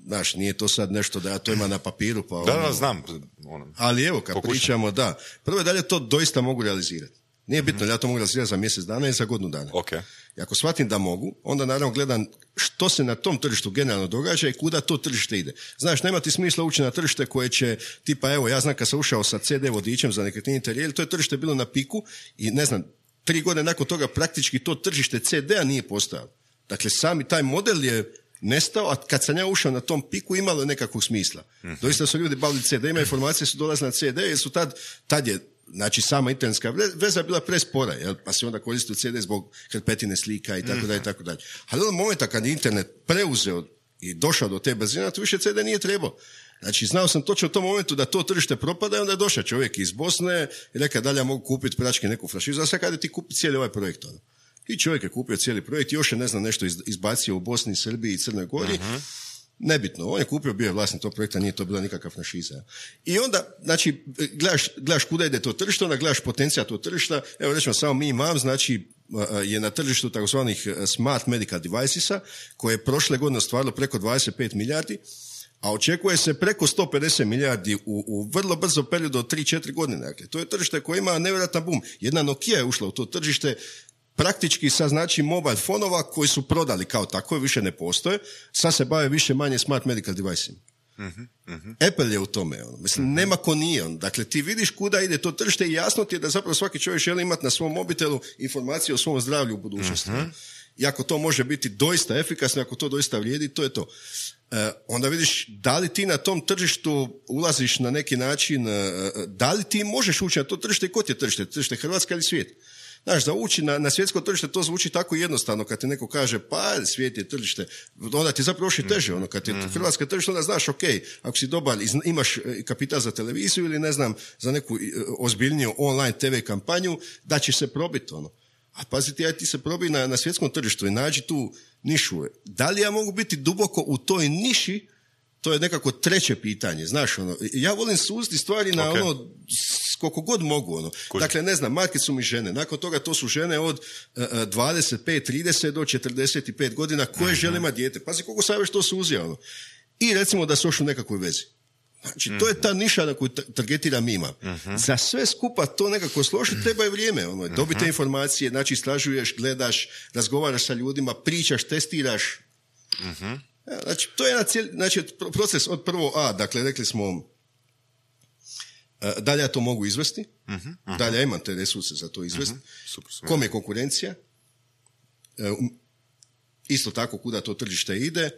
znaš, nije to sad nešto da ja to imam na papiru. Pa da, ono... da, znam. Ono, ali evo, kad pokušam. Pričamo, da. Prvo je da li to doista mogu realizirati. Nije bitno, mm-hmm. ja to mogu realizirati za mjesec dana i za godinu dana. Okay. I ako shvatim da mogu, onda naravno gledam što se na tom tržištu generalno događa i kuda to tržište ide. Znaš, nema ti smisla ući na tržište koje će, tipa, evo, ja znam kad sam ušao sa ce de vodičem za nekretnine interijeri, to je tržište bilo na piku i ne znam, tri godine nakon toga praktički to tržište ce de a nije postojalo. Dakle, sami taj model je nestao, a kad sam ja ušao na tom piku imalo je nekakvog smisla. Mm-hmm. Doista su ljudi bavili ce de, ima informacije su dolazile na ce de jer su tad, tad je, znači sama internetska veza bila prespora, jel? Pa se onda koristio ce de zbog hrpetine slika i tako dalje i tako dalje. Ali od momenta kad je internet preuzeo i došao do te brzine, to više ce de nije trebao. Znači, znao sam točno u tom momentu da to tržište propada i onda je došao čovjek iz Bosne i rekao da li ja mogu kupiti prački neku franšizu, a sad kada ti kupi cijeli ovaj projekt. Ono. I čovjek je kupio cijeli projekt, još je, ne znam, nešto izbacio u Bosni, Srbiji i Crnoj Gori. Uh-huh. Nebitno, on je kupio, bio je vlasnik tog projekta, nije to bila nikakva franšiza. I onda, znači, gledaš, gledaš kuda ide to tržište, onda gledaš potencijal tog tržišta. Evo, recimo, samo mi imam, znači, je na tržištu takozvanih smart medical devicesa, koje je prošle godine ostvarilo preko dvadeset pet milijardi, a očekuje se preko sto pedeset milijardi u, u vrlo brzo periodu od tri do četiri godine. Dakle, to je tržište koje ima nevjerojatan boom. Jedna Nokia je ušla u to tržište, praktički sa znači mobile fonova koji su prodali kao tako, više ne postoje, sad se bave više manje smart medical device-ima. Uh-huh, uh-huh. Apple je u tome. On. Mislim, uh-huh. nema ko nije on. Dakle, ti vidiš kuda ide to tržište i jasno ti je da zapravo svaki čovjek želi imati na svom mobitelu informacije o svom zdravlju u budućnosti. Uh-huh. I ako to može biti doista efikasno, ako to doista vrijedi, to je to. E, onda vidiš da li ti na tom tržištu ulaziš na neki način, e, da li ti možeš ući na to tržište i ko ti je tržište? Tržište Hrvatska ili svijet? Znaš, da ući na, na svjetsko tržište, to zvuči tako jednostavno, kad ti neko kaže, pa svijet je tržište, onda ti zapravo još i teže, ono, kad je Hrvatska tržište, onda znaš, ok, ako si dobar, imaš kapital za televiziju ili ne znam, za neku ozbiljniju online te ve kampanju, da će se probiti, ono. A paziti, aj ti se probi na, na svjetskom tržištu i nađi tu nišu. Da li ja mogu biti duboko u toj niši, to je nekako treće pitanje, znaš, ono, ja volim suziti stvari na okay. ono, koliko god mogu, ono. Cool. Dakle, ne znam, market su mi žene, nakon toga to su žene od uh, dvadeset pet trideset do četrdeset pet godina koje uh-huh. žele imati dijete. Pazi, koliko sam već to suzio, ono. I recimo da su još u nekakvoj vezi. Znači, uh-huh. to je ta niša na koju targetira mima. Uh-huh. Za sve skupa to nekako složiti treba je vrijeme, ono, dobite uh-huh. informacije, znači istražuješ, gledaš, razgovaraš sa ljudima, pričaš, testiraš. Uh-huh. Znači, to je na cijeli, znači, proces od prvo A, dakle, rekli smo, da li ja to mogu izvesti, uh-huh, uh-huh. da li ja imam te resurse za to izvesti, uh-huh. super, super. Kom je konkurencija, isto tako kuda to tržište ide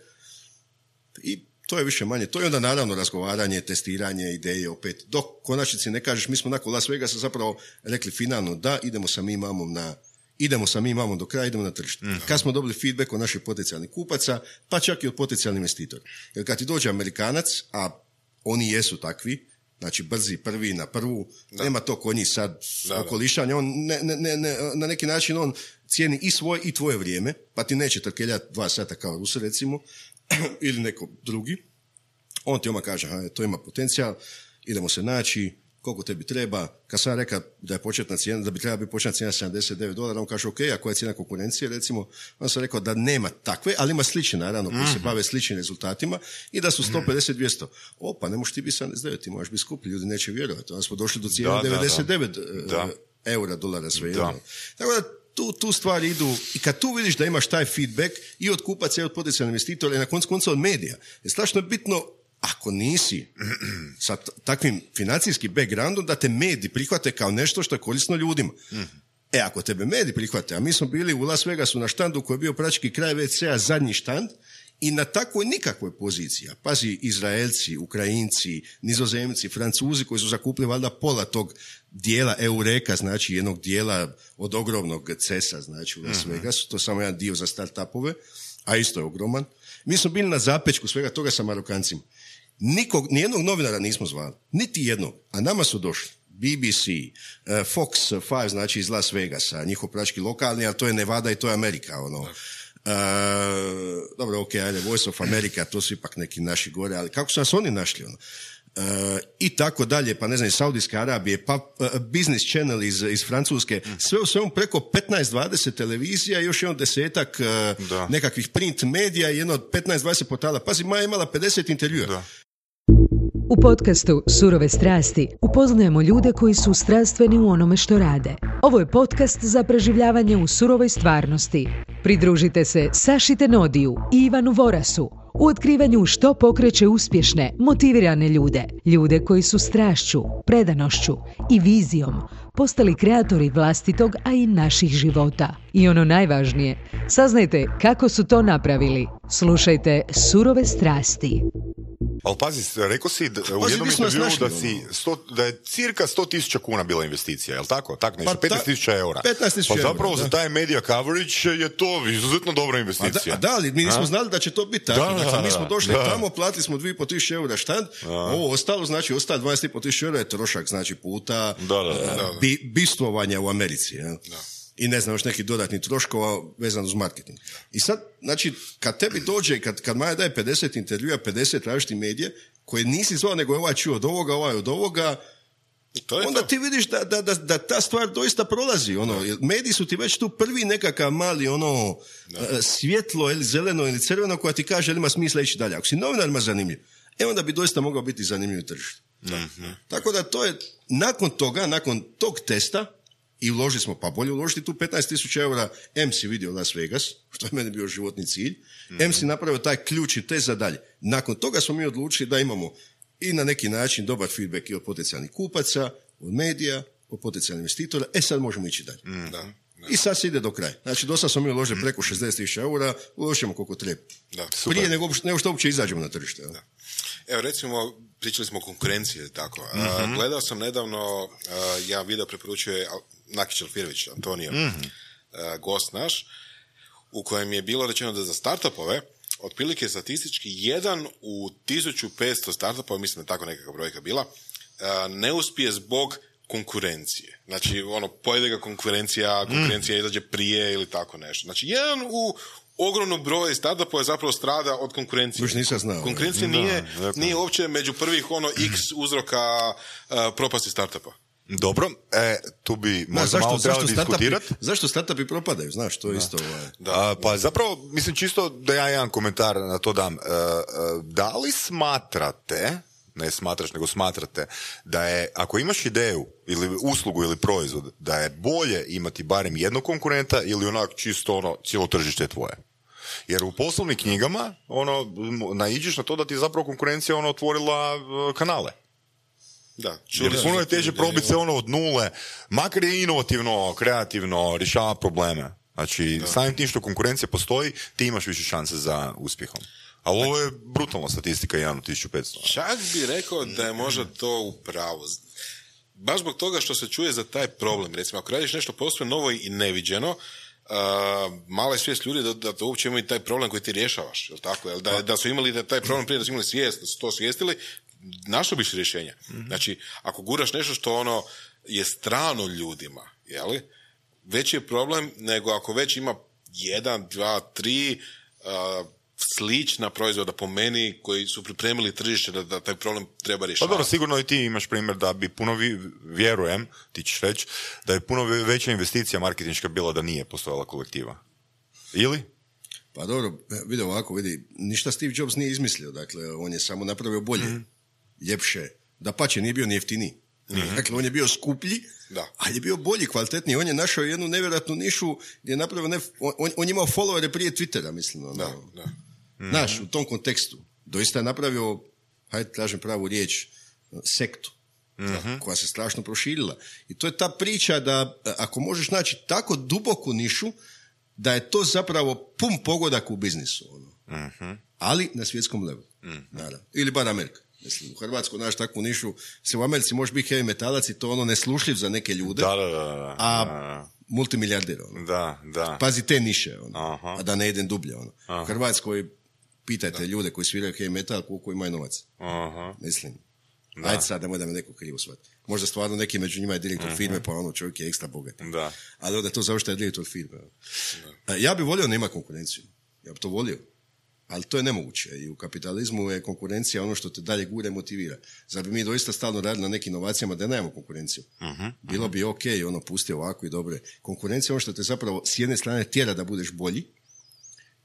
i to je više manje, to je onda naravno razgovaranje, testiranje, ideje opet, dok konačnici ne kažeš, mi smo nakon Las Vegasa zapravo rekli finalno da, idemo sa mi mamom na idemo sa mi mamom do kraja, idemo na tržište. Mm-hmm. Kad smo dobili feedback od naših potencijalnih kupaca, pa čak i od potencijalnih investitora. Jer kad ti dođe Amerikanac, a oni jesu takvi, znači brzi, prvi na prvu, da. Nema to kod njih sad da, okolišanja, on ne, ne, ne, na neki način on cijeni i svoje i tvoje vrijeme, pa ti neće trkeljati dva sata kao Rus recimo, ili neko drugi. On ti oma kaže, aha, to ima potencijal, idemo se naći, koliko tebi treba. Kad sam rekao da je početna cijena, da bi trebala biti početna cijena sedamdeset devet dolara, on kaže, ok, a koja je cijena konkurencije, recimo, on sam rekao da nema takve, ali ima slične, naravno, koji mm-hmm. se bave sličnim rezultatima i da su sto pedeset do dvjesto. O, pa ne možeš ti biti sedamdeset devet, ti možeš biti skuplji, ljudi neće vjerovati. Onda smo došli do cijene da, devedeset devet da, da. eura, dolara, sve jedno. Tako da, tu, tu stvari idu i kad tu vidiš da imaš taj feedback i od kupaca i od potencijalnih investitora i na koncu konca od medija, je strašno bitno ako nisi sa t- takvim financijskim backgroundom da te mediji prihvate kao nešto što je korisno ljudima. Mm-hmm. E, ako tebe mediji prihvate, a mi smo bili u Las Vegasu na štandu koji je bio praktički kraj ve ce a zadnji štand i na takvoj nikakvoj poziciji, pazi, Izraelci, Ukrajinci, Nizozemci, Francuzi koji su zakupili valjda pola tog dijela Eureka, znači jednog dijela od ogromnog cesa, znači u Las Vegasu, to je samo jedan dio za start-upove, a isto je ogroman. Mi smo bili na zapečku svega toga sa Marokancima. Nikog, nijednog novinara nismo zvali, niti jednog, a nama su došli be be ce, uh, Fox pet, znači iz Las Vegasa, njihov prački lokalni, ali to je Nevada i to je Amerika, ono. Uh, dobro, ok, ajde, Voice of America, to su ipak neki naši gore, ali kako su nas oni našli, ono? Uh, i tako dalje, pa ne znam, iz Saudijske Arabije, pa uh, Business Channel iz, iz Francuske, sve u svemu preko petnaest dvadeset televizija i još jedno desetak uh, nekakvih print medija i jedno od petnaest dvadeset portala. Pazi, Maja imala pedeset intervjua. Da. U podcastu Surove strasti upoznajemo ljude koji su strastveni u onome što rade. Ovo je podcast za preživljavanje u surovoj stvarnosti. Pridružite se Saši Tenodiju i Ivanu Vorasu u otkrivanju što pokreće uspješne, motivirane ljude. Ljude koji su strašću, predanošću i vizijom postali kreatori vlastitog, a i naših života. I ono najvažnije, saznajte kako su to napravili. Slušajte Surove strasti. Ali pazi, rekao si da, u Pazi, jednom mi smo nas intervjuu da, našli, si ono. sto, da je cirka sto tisuća kuna bila investicija, je li tako? Tak nešto, Pa ta- petnaest tisuća eura. petnaest tisuća Pa zapravo eura, za da. taj media coverage je to izuzetno dobra A da, investicija. a da, ali mi nismo A? znali da će to biti tako. Da, da, dakle, mi da, smo došli da. tamo, platili smo dvije i pol tisuće eura štand, ovo ostalo, znači ostalo dvadeset i pol tisuća eura je trošak, znači puta Da, da, da, eh, da. bi, bistvovanja u Americi. Ja? I ne znam, još neki dodatni troškova vezano uz marketing. I sad, znači, kad tebi dođe, kad, kad Maja daje pedeset intervjua, pedeset različitih medije, koje nisi zvao, nego je ovaj čuo od ovoga, ovaj od ovoga, To je onda to. ti vidiš da, da, da, da ta stvar doista prolazi. Ono, jer mediji su ti već tu prvi nekakav mali ono, eh, svjetlo ili zeleno ili crveno koja ti kaže, ima smisla ići dalje. Ako si novinarima zanimljiv, e onda bi doista mogao biti zanimljiv tržište. Tako da to je, nakon toga, nakon tog testa, i uložili smo, pa bolje uložiti tu petnaest tisuća eura, M si vidio Las Vegas, što je meni bio životni cilj, M si napravio taj ključni test za dalje. Nakon toga smo mi odlučili da imamo i na neki način dobar feedback i od potencijalnih kupaca, od medija, od potencijalnih investitora, e sad možemo ići dalje. Da. I sad se ide do kraja. Znači, do sad smo mi uložili preko šezdeset tisuća eura, uložimo koliko treba. Da. Prije nego, nego što uopće izađemo na tržište. Da. Evo, recimo, pričali smo o konkurenciji, tako. Uh, gledao sam nedavno, uh, ja video preporučuje Nakić Alfirović, Antonio, uh, gost naš, u kojem je bilo rečeno da za startupove, otprilike statistički, jedan u tisuću petsto startupova, mislim da tako nekakva brojka bila, uh, ne uspije zbog konkurencije. Znači, ono, pojede ga konkurencija, konkurencija izađe prije ili tako nešto. Znači, jedan u ogromnom broju startupova zapravo strada od konkurencije. Još nisam znao. Konkurencija Da, nije, dakle. nije uopće među prvih ono x uzroka uh, propasti startupa. Dobro, e, tu bi Da, možda zašto, malo trebalo zašto, startupi, diskutirati. zašto startupi propadaju? Znaš, to je isto... Ovaj. A, pa zapravo, mislim čisto da ja jedan komentar na to dam. E, e, da li smatrate, ne smatraš, nego smatrate, da je, ako imaš ideju ili uslugu ili proizvod, da je bolje imati barem jednog konkurenta ili onak čisto ono, cijelo tržište je tvoje? Jer u poslovnim knjigama ono, naiđeš na to da ti je zapravo konkurencija ono, otvorila e, kanale. Da, Jer puno je teže probiti se ono od nule, makar je inovativno, kreativno, rješava probleme. Znači, samim tim što konkurencija postoji, ti imaš više šanse za uspjehom. Ali ovo je brutalna statistika, jedan od tisuću petsto. Čak bi rekao da je možda to u pravu. Baš zbog toga što se čuje za taj problem. Recimo, ako radiš nešto posve novo i neviđeno, uh, mala je svijest ljudi da, da to uopće imaju taj problem koji ti rješavaš. Jel tako? Jel da, da su imali da taj problem prije, da su imali svijest, da su to svijestili, našao biš rješenja. Mm-hmm. Znači, ako guraš nešto što ono je strano ljudima, jeli, veći je problem nego ako već ima jedan, dva, tri uh, slična proizvoda po meni koji su pripremili tržište da, da taj problem treba Pa rješavati. dobro, sigurno i ti imaš primjer da bi puno, vi, vjerujem, ti ćeš reći, da je puno veća investicija marketinška bila da nije postojala kolektiva. Ili? Pa dobro, vidi ovako, vidi, ništa Steve Jobs nije izmislio, dakle, on je samo napravio bolje, mm. ljepše, da pače, nije bio ni jeftiniji. Mm-hmm. Dakle, on je bio skuplji, Da. ali je bio bolji, kvalitetniji. On je našao jednu nevjerojatnu nišu gdje je napravio, ne, on, on je imao followere prije Twittera, mislim. Ono. Da, da. Znaš, u tom kontekstu. Doista je napravio, hajde kažem pravu riječ, sektu. Mm-hmm. Koja se strašno proširila. I to je ta priča da ako možeš naći tako duboku nišu, da je to zapravo pun pogodak u biznisu. Ono. Mhm. Ali na svjetskom levelu. Mm-hmm. Naravno. Ili bar Amerika. Mislim, u Hrvatskoj naš takvu nišu, se u Americi može biti heavy metalac i to ono neslušljiv za neke ljude, Da, da, da. da. a Da, multimilijarder. Ono. da, da. Pazi te niše, ono. Aha. A da ne idem dublje. Ono. Aha. U Hrvatskoj pitajte ljude koji sviraju heavy metal koliko imaju novac. Aha. Mislim. Da. Ajde sad, nemoj da me neko krivo shvati. Možda stvarno neki među njima je direktor uh-huh. firme, pa ono čovjek je ekstra bogat. Da. Ali onda to završta je direktor firme. Uh, ja bi volio da nema konkurenciju. Ja bi to volio. Ali to je nemoguće. I u kapitalizmu je konkurencija ono što te dalje gure motivira. Zar bi mi doista stalno radili na nekim inovacijama da nemamo konkurenciju? Uh-huh. Bilo bi ok, ono pusti ovako i dobro. Konkurencija je ono što te zapravo s jedne strane tjera da budeš bolji.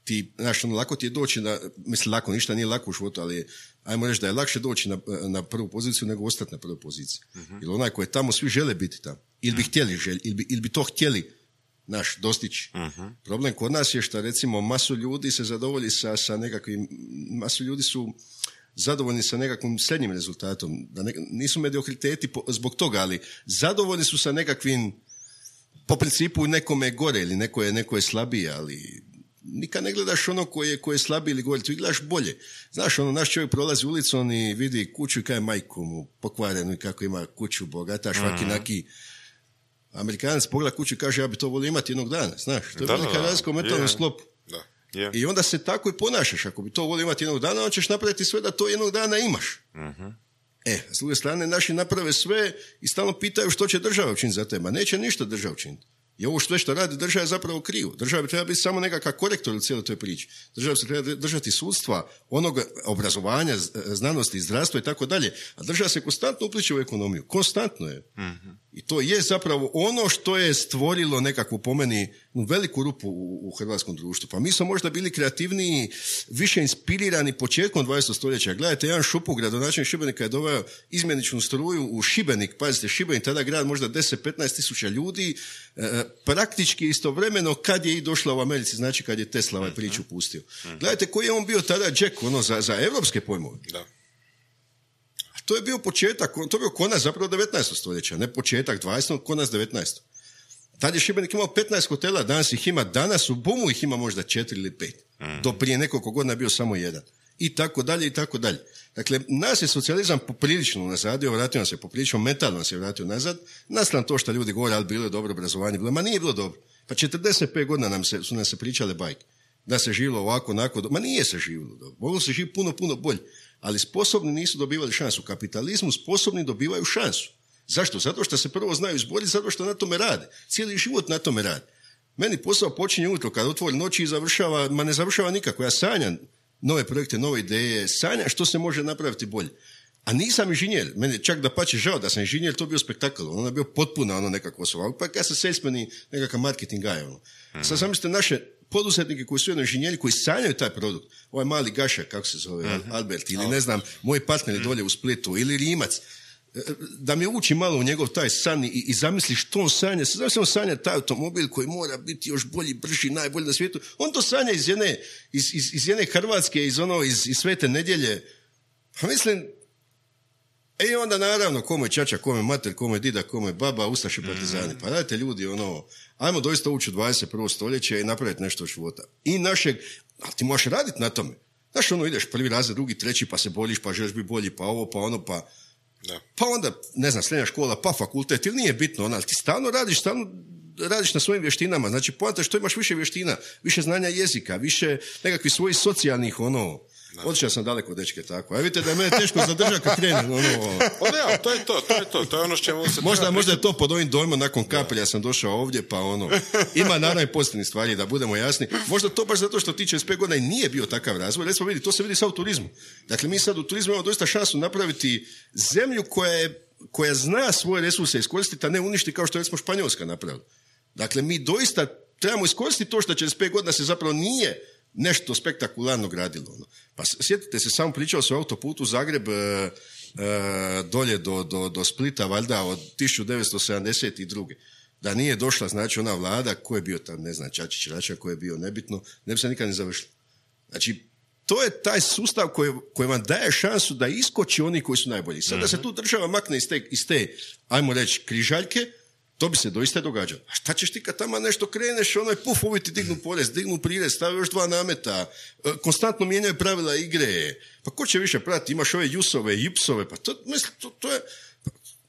Ti, znaš, ono, lako ti je doći na, mislim, lako, ništa nije lako u životu, ali ajmo reći da je lakše doći na, na prvu poziciju nego ostati na prvoj poziciji. Uh-huh. Jer onaj koji je tamo, svi žele biti tamo. Ili bi htjeli želj, ili bi, ili bi to htjeli, naš, dostići. Uh-huh. Problem kod nas je što, recimo, masu ljudi se zadovolji sa, sa nekakvim, masu ljudi su zadovoljni sa nekakvim srednjim rezultatom. Da ne, nisu mediokriteti po, zbog toga, ali zadovoljni su sa nekakvim, po principu nekome gore ili neko je, neko je slabiji, ali nikad ne gledaš ono koje je, koje je slabiji ili gore, tu gledaš bolje. Znaš, ono, naš čovjek prolazi ulicom i vidi kuću i kaže majku mu pokvarenu i kako ima kuću bogata, švaki mm-hmm. naki. Amerikanac pogleda kuću i kaže ja bi to volio imati jednog dana, znaš, to je velika razlika u mentalnom sklopu. Da. Yeah. I onda se tako i ponašaš, ako bi to volio imati jednog dana, on ćeš napraviti sve da to jednog dana imaš. Mm-hmm. E, s druge strane, naši naprave sve i stalno pitaju što će država učiniti za tebe. Neće ništa država učiniti. I ovo sve što radi država je zapravo krivo. Država bi treba biti samo nekakav korektor u cijeloj toj priči. Država se treba držati sudstva, onog obrazovanja, znanosti, zdravstva i tako dalje. A država se konstantno upliče u ekonomiju. Konstantno je. Mm-hmm. I to je zapravo ono što je stvorilo nekakvu, po meni, veliku rupu u, u hrvatskom društvu. Pa mi smo možda bili kreativniji, više inspirirani početkom dvadesetog stoljeća. Gledajte, jedan Šupu, gradonačelnik Šibenika, je doveo izmjeničnu struju u Šibenik. Pazite, Šibenik, tada grad možda deset do petnaest tisuća ljudi, e, praktički istovremeno kad je i došla u Americi, znači kad je Tesla ovaj priču pustio. Gledajte, koji je on bio tada Jack, ono, za, za evropske pojmove. Da. To je bio početak, to je bio konac zapravo devetnaestog stoljeća, ne početak dvadesetog, konac devetnaestog. Tad je Šibenik imao petnaest hotela, danas ih ima, danas u Bumu ih ima možda četiri ili pet. Mm. Do prije nekoliko godina je bio samo jedan. I tako dalje, i tako dalje. Dakle, nas je socijalizam poprilično nazadio, vratio nas je poprilično, mentalno nas je vratio nazad, naspram to što ljudi govore, ali bilo je dobro obrazovanje, bilo, ma nije bilo dobro. Pa četrdeset pet godina nam se, su nam se pričale bajke. Da se živjelo ovako, onako, ma nije se živjelo dobro. Moglo se živjeti puno, puno bolje. Ali sposobni nisu dobivali šansu. U kapitalizmu sposobni dobivaju šansu. Zašto? Zato što se prvo znaju izboriti, zato što na tome rade. Cijeli život na tome rade. Meni posao počinje ujutro, kad otvori noći i završava, ma ne završava nikako. Ja sanjam nove projekte, nove ideje, sanjam što se može napraviti bolje. A nisam inženjer. Meni čak da pače žao da sam inženjer, to bio spektakl. Ono je bio potpuno ono nekako osoba. Pa ja sam salesman i nekakav marketing guy. Ono. Hmm. Sad zamislite naše poduzetnike koji su jedno inženjeri, koji sanjaju taj produkt. Ovaj mali Gaša, kako se zove, uh-huh. Albert, ili ne znam, moji partneri dolje u Splitu, ili Rimac, da mi uči malo u njegov taj san i, i zamisli što on sanja. Zamisli on sanja taj automobil koji mora biti još bolji, brži, najbolji na svijetu. On to sanja iz jedne, iz, iz, iz jedne Hrvatske, iz, ono, iz, iz Svete nedjelje. Pa mislim, e onda naravno, kome je čača, kome je mater, kome je dida, kome je baba, ustaše partizani. Pa dajte ljudi, ono, ajmo doista ući u dvadeset prvo stoljeće i napraviti nešto od života. I našeg, ali ti možeš raditi na tome. Znaš, ono, ideš prvi razred, drugi, treći, pa se boliš, pa želiš biti bolji, pa ovo, pa ono, pa... Da. Pa onda, ne znam, srednja škola, pa fakultet, ili nije bitno, ono, ali ti stalno radiš, stalno radiš na svojim vještinama. Znači, poanta što imaš više vještina, više znanja jezika, više nekakvih svojih socijalnih, ono... Otišao sam daleko, dečke, tako. A vidite da je mene teško zadržati kad krenem. Ono... O ne, to je to, to je to, to je ono s čemu se... Možda, možda je to pod ovim dojmom, nakon kapelja sam došao ovdje, pa ono, ima naravno i pozitivnih stvari, da budemo jasni. Možda to baš zato što ti čez pet godina i nije bio takav razvoj. Recimo vidi, to se vidi sad u turizmu. Dakle, mi sad u turizmu imamo doista šansu napraviti zemlju koja, je, koja zna svoje resurse iskoristiti, a ne uništi kao što je recimo Španjolska napravila. Dakle, mi doista trebamo iskoristiti to što čez pet godina se zapravo nije nešto spektakularno gradilo. Ono. Pa sjetite se, samo pričao se o autoputu Zagreb e, e, dolje do, do, do Splita, valjda od tisuću devetsto sedamdeset druge. Da nije došla, znači, ona vlada, ko je bio tam, ne znam, Čačić, Rača, ko je bio nebitno, ne bi se nikad ne završilo. Znači, to je taj sustav koji, koji vam daje šansu da iskoči oni koji su najbolji. Sad da se tu država makne iz te, iz te ajmo reći, križaljke, to bi se doista događalo. A šta ćeš ti kad tamo nešto kreneš, onaj puf, ovi ti dignu porez, dignu prirez, stavi još dva nameta, konstantno mijenjaju pravila igre. Pa ko će više pratiti? Imaš ove jusove, jipsove, pa to, mislim, to, to je...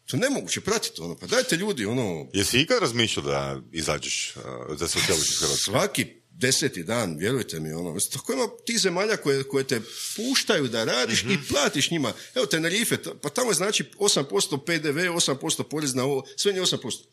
To je nemoguće pratiti, ono, pa dajte ljudi, ono... Jesi ikad razmišljao da izađeš, da se odjeliš iz Hrvatske? Svaki deseti dan, vjerujte mi, ono, tako ima ti zemalja koje, koje te puštaju da radiš mm-hmm. i platiš njima. Evo, Tenerife, pa tamo je znači osam posto pe de ve, osam posto porez na ovo, sve nije osam posto.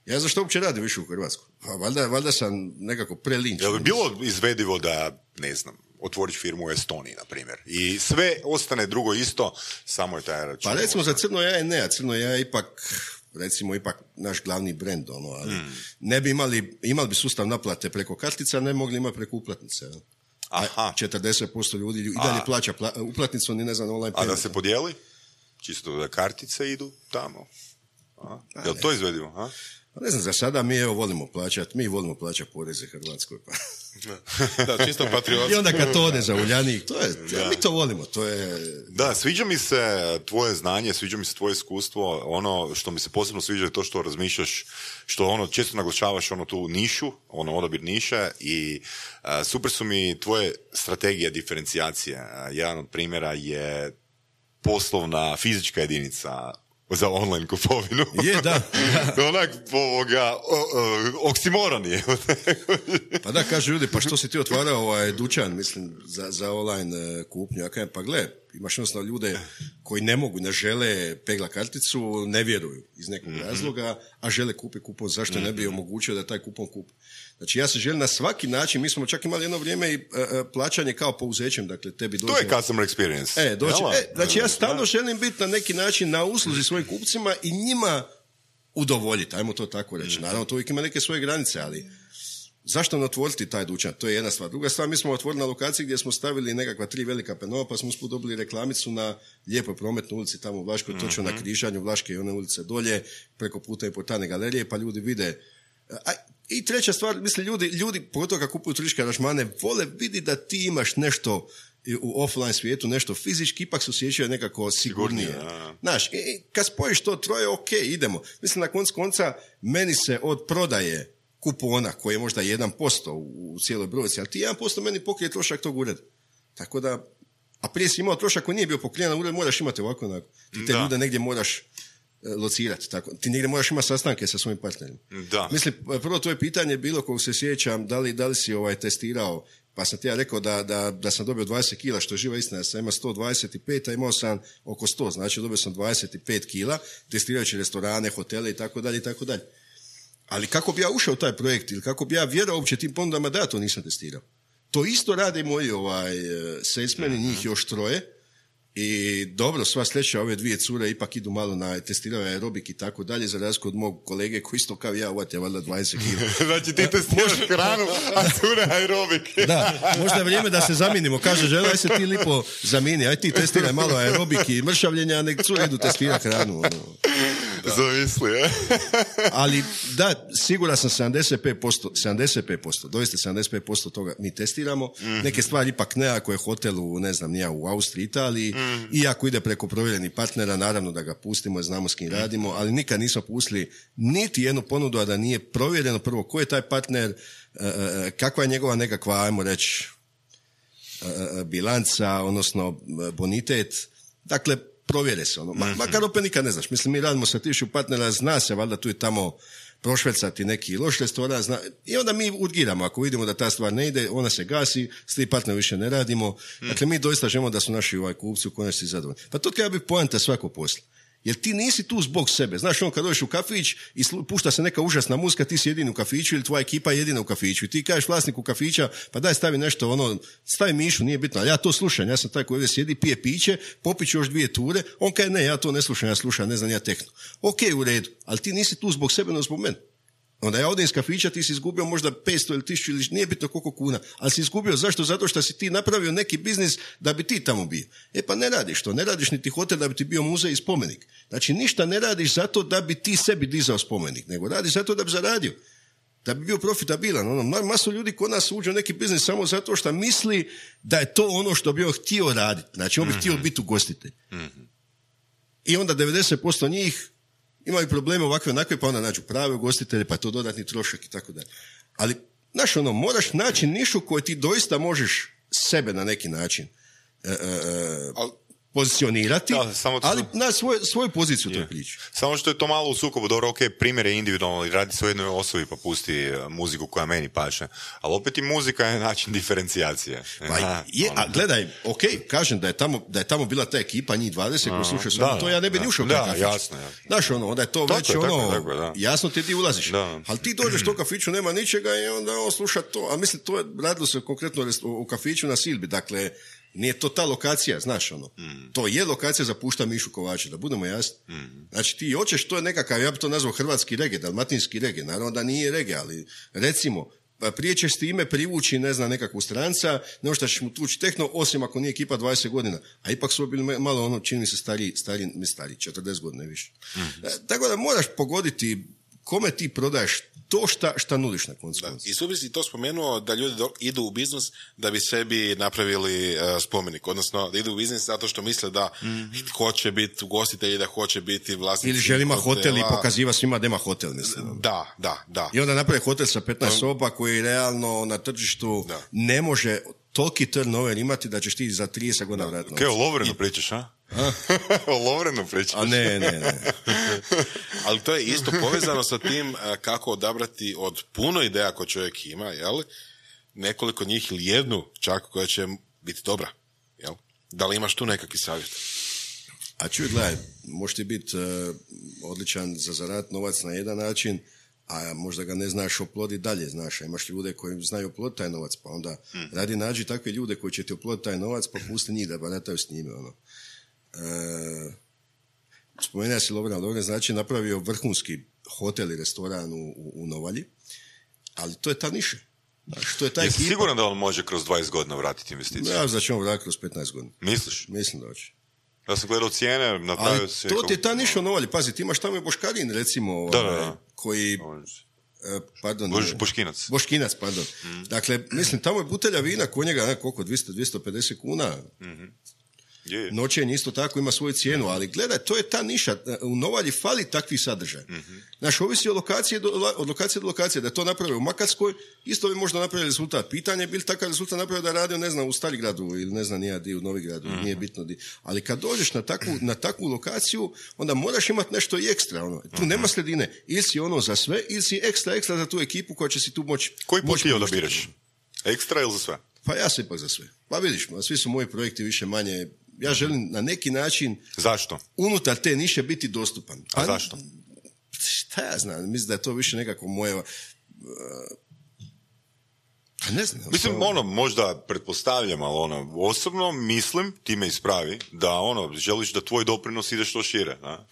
Ja zašto uopće radim više u Hrvatskoj? Pa valjda, valjda sam nekako prelinč. Je li bilo izvedivo da, ne znam, otvoriš firmu u Estoniji, na primjer, i sve ostane drugo isto, samo je taj račun? Pa recimo za Crno jaje ne, a Crno jaje ipak, recimo, ipak naš glavni brend, ono, ali mm. ne bi imali, imali bi sustav naplate preko kartica, ne mogli imati preko uplatnice. Aha. četrdeset posto ljudi i dalje a. plaća pla, uplatnicu, ni ne znam, online payment. A da se podijeli? Čisto da kartice idu tamo? A? Jel to izvedivo? A? Pa ne znam, za sada mi evo volimo plaćati, mi volimo plaćati poreze Hrvatskoj. Pa. Da, čisto patriotski. I onda kad to ode za Uljanik, to je, ja, mi to volimo, to je... Da, sviđa mi se tvoje znanje, sviđa mi se tvoje iskustvo, ono što mi se posebno sviđa je to što razmišljaš, što ono često naglašavaš ono tu nišu, ono odabir niše i uh, super su mi tvoje strategije diferencijacije. Uh, jedan od primjera je poslovna fizička jedinica za online kupovinu. Je, da. da. Onak, ovoga, oksimoron je. Pa da, kažu ljudi, pa što si ti otvarao ovaj dućan, mislim, za, za online kupnju? Ja kažem, pa gle, imaš jednostavno ljude koji ne mogu, ne žele pegla karticu, ne vjeruju iz nekog mm-hmm. razloga, a žele kupiti kupon, zašto mm-hmm. ne bi omogućio da taj kupon kupi? Znači, ja se želim na svaki način, mi smo čak imali jedno vrijeme i uh, plaćanje kao pouzećem, dakle, tebi dođe... To je customer experience. E, doći, e, znači, ja stalno želim biti na neki način na usluzi svojim kupcima i njima udovoljiti, ajmo to tako reći. Naravno, to uvijek ima neke svoje granice, ali zašto ne otvoriti taj dućan? To je jedna stvar. Druga stvar, mi smo otvorili na lokaciji gdje smo stavili nekakva tri velika penova, pa smo usput dobili reklamicu na lijepoj prometnoj ulici tamo u Vlaškoj, mm-hmm. točno na križanju Vlaške i one ulice dolje, preko puta i portane galerije, pa ljudi vide... A, i treća stvar, mislim, ljudi, ljudi pogotovo kad kupuju turističke aranžmane, vole vidi da ti imaš nešto u offline svijetu, nešto fizički, ipak se osjećaju nekako sigurnije. Znaš, i kad spojiš to troje, ok, idemo. Mislim, na koncu konca, meni se od prodaje kupona, koji je možda jedan posto u, u cijeloj brojci, ali ti jedan posto meni pokrije trošak tog ureda. Tako da, a prije si imao trošak koji nije bio pokrijen, ured moraš imati ovako, onako. Ti te da. ljude negdje moraš locirati, tako. Ti negdje moraš imati sastanke sa svojim partnerima. Da. Mislim, prvo to je pitanje bilo, kog se sjećam, da li, da li si ovaj testirao, pa sam ti ja rekao da, da, da sam dobio dvadeset kila, što je živa istina, ja sam imao sto dvadeset pet, a imao sam oko sto, znači dobio sam dvadeset pet kila, testirajući restorane, hotele i tako dalje i tako dalje. Ali kako bi ja ušao u taj projekt ili kako bi ja vjerao uopće tim ponudama, da ja to nisam testirao. To isto rade moji ovaj, salesmeni, njih još troje. I dobro, sva sreća, ove dvije cure ipak idu malo na testirao aerobik i tako dalje, za razliku od mog kolege koji isto kao ja, uvati je valjda dvadeset kila. Znači ti testiraš hranu, a cure aerobik. Da, možda je vrijeme da se zamijenimo. Kaže žena, aj se ti lipo zamijeni, aj ti testiraj malo aerobik i mršavljenja, a nek cure idu testirati hranu. Ono. Zamisli, je. Ali da, siguran sam sedamdeset pet posto, sedamdeset pet posto, doista sedamdeset pet posto toga mi testiramo. Mm-hmm. Neke stvari ipak ne, ako je hotel u, ne znam, nija u Austriji, Italiji, mm-hmm. i ako ide preko provjerenih partnera, naravno da ga pustimo i znamo s kim radimo, ali nikad nismo pustili niti jednu ponudu, a da nije provjereno prvo ko je taj partner, kakva je njegova nekakva, ajmo reći, bilanca, odnosno bonitet. Dakle, provjere se, ono. Ma, makar opet nikad ne znaš. Mislim, mi radimo sa tisuću partnera, zna se, valjda tu i tamo prošvercati neki loš restoran, zna, i onda mi urgiramo. Ako vidimo da ta stvar ne ide, ona se gasi, s tim partnerom više ne radimo. Dakle, mi doista želimo da su naši ovaj kupci u konačnici zadovoljni. Pa to treba biti poanta svakog posla. Jer ti nisi tu zbog sebe. Znaš, on kad dođeš u kafić i pušta se neka užasna muzika, ti si jedini u kafiću ili tvoja ekipa je jedina u kafiću. I ti kažeš vlasniku kafića, pa daj stavi nešto, ono, stavi mišu, nije bitno. Ali ja to slušam, ja sam taj koji ovdje sjedi, pije piće, popiću još dvije ture. On kaže, ne, ja to ne slušam, ja slušam, ne znam, ja tehno. Ok, u redu, ali ti nisi tu zbog sebe, no zbog mene. Onda ja odem iz kafića, ti si izgubio možda petsto ili tisuću ili nije bitno koliko kuna, ali si izgubio zašto? Zato što si ti napravio neki biznis da bi ti tamo bio. E pa ne radiš to, ne radiš niti hotel da bi ti bio muzej i spomenik. Znači ništa ne radiš zato da bi ti sebi dizao spomenik, nego radiš zato da bi zaradio, da bi bio profitabilan. Ono, masu ljudi kod nas uđe u neki biznis samo zato što misli da je to ono što bi on htio raditi. Znači on bi mm-hmm. htio biti ugostitelj. Mm-hmm. I onda devedeset posto njih imaju probleme ovakve onakve, pa onda nađu prave ugostitelje, pa to dodatni trošak i tako dalje. Ali, znaš, ono, moraš naći nišu koju ti doista možeš sebe na neki način e, e, Al, pozicionirati, da, samo to, ali na svoj, svoju poziciju to priči. Samo što je to malo u sukobu, dobro, ok, primjer je individualno i radi se o jednoj osobi pa pusti muziku koja meni paše, ali opet i muzika je način diferencijacije. Pa Aha, je, a gledaj, ok, kažem da je tamo, da je tamo bila ta ekipa, njih dvadeset koji slušaju samo to, ja ne bi ni ušao. Da, jasno, jasno. Znaš, ono, onda je to tako već je, ono, tako, tako, da. jasno ti ti ulaziš. Da. Ali ti dođeš to kafiću, nema ničega i onda on sluša to, a mislim, to je radilo se konkretno u kafiću na Silbi, dakle, nije to ta lokacija, znaš ono. Mm. To je lokacija za pušta Mišu Kovača, da budemo jasni. Mm. Znači ti hoćeš, to je nekakav, ja bi to nazvao hrvatski reggae, dalmatinski reggae, naravno da nije reggae, ali recimo prije ćeš s time privući, ne znam, nekakvu stranca, nego što ćeš mu tući tehno, osim ako nije ekipa dvadeset godina. A ipak su bili malo ono, čini mi se stari, stari, ne stari, četrdeset godina više. Mm-hmm. Tako da moraš pogoditi kome ti prodaješ to šta, šta nudiš na koncu. I su bi si to spomenuo da ljudi do, idu u biznis da bi sebi napravili uh, spomenik, odnosno da idu u biznis zato što misle da mm-hmm. hoće biti ugostitelji, da hoće biti vlasnici. Ili želima hotel i pokaziva svima da ima hotel, mislim. Da, da, da. I onda napravi hotel sa petnaest soba koji realno na tržištu da. ne može toliki turnover imati da ćeš ti za trideset godina vratiti. Kaj, o Lovrenu pričaš, a? O Lovrenu pričaš? A ne, ne, ne. Ali to je isto povezano sa tim kako odabrati od puno ideja koje čovjek ima, jel? Nekoliko njih ili jednu čak koja će biti dobra, jel? Da li imaš tu nekakvi savjet? A čuj, gledaj, možeš ti biti uh, odličan za zarat novac na jedan način, a možda ga ne znaš oploditi dalje, znaš, a imaš ljude koji znaju oploditi taj novac, pa onda mm. radi nađi takve ljude koji će ti oploditi taj novac, pa pusti njih da barataju s njime, ono. E, spomenuo si Lovren, Lovren znači napravio vrhunski hotel i restoran u, u, u Novalji, ali to je ta niša. Znaš, to je ta Jesi ekipa. siguran da on može kroz dvadeset godina vratiti investiciju? Ja da će on vratiti kroz petnaest godina. Misliš? Mislim da hoće. Ja sam gledao cijene, napravio ali se... to ti je ta niša u Novalji, pazi, ti imaš tamo i Boškarin, recimo, da, da, da. koji... Pardon, Bož, Boškinac. Boškinac, pardon. Mm. Dakle, mislim, tamo je butelja vina kod njega, ne, koliko, dvjesto do dvjesto pedeset kuna. Mm-hmm. Je, je. Noćenje isto tako ima svoju cijenu, ali gledaj, to je ta niša. U Novalji fali takvih sadržaja. Mm-hmm. Znaš, ovisi od lokacije, do, od lokacije do lokacije. Da je to napravio u Makarskoj, isto bi možda napravili rezultat. Pitanje je bil takav rezultat napravio da je radio, ne znam, u Starigradu ili ne znam, nije di u Novigradu, mm-hmm. nije bitno di. Ali kad dođeš na takvu, na takvu lokaciju, onda moraš imati nešto i ekstra. Ono. Tu mm-hmm. nema sredine. Ili si ono za sve, ili si ekstra, ekstra za tu ekipu koja će si tu moći... Koji put ti odabiraš? Ekstra ili za sve? Pa ja sam ipak za sve. Pa vidiš, svi su moji projekti više manje... Ja želim na neki način... Zašto? Unutar te niše biti dostupan. A zašto? Šta ja znam, mislim da je to više nekako moje... Uh, ne znam. Mislim, to... ono, možda pretpostavljam, ali ono, osobno mislim, ti me ispravi, da ono, želiš da tvoj doprinos ide što šire, da?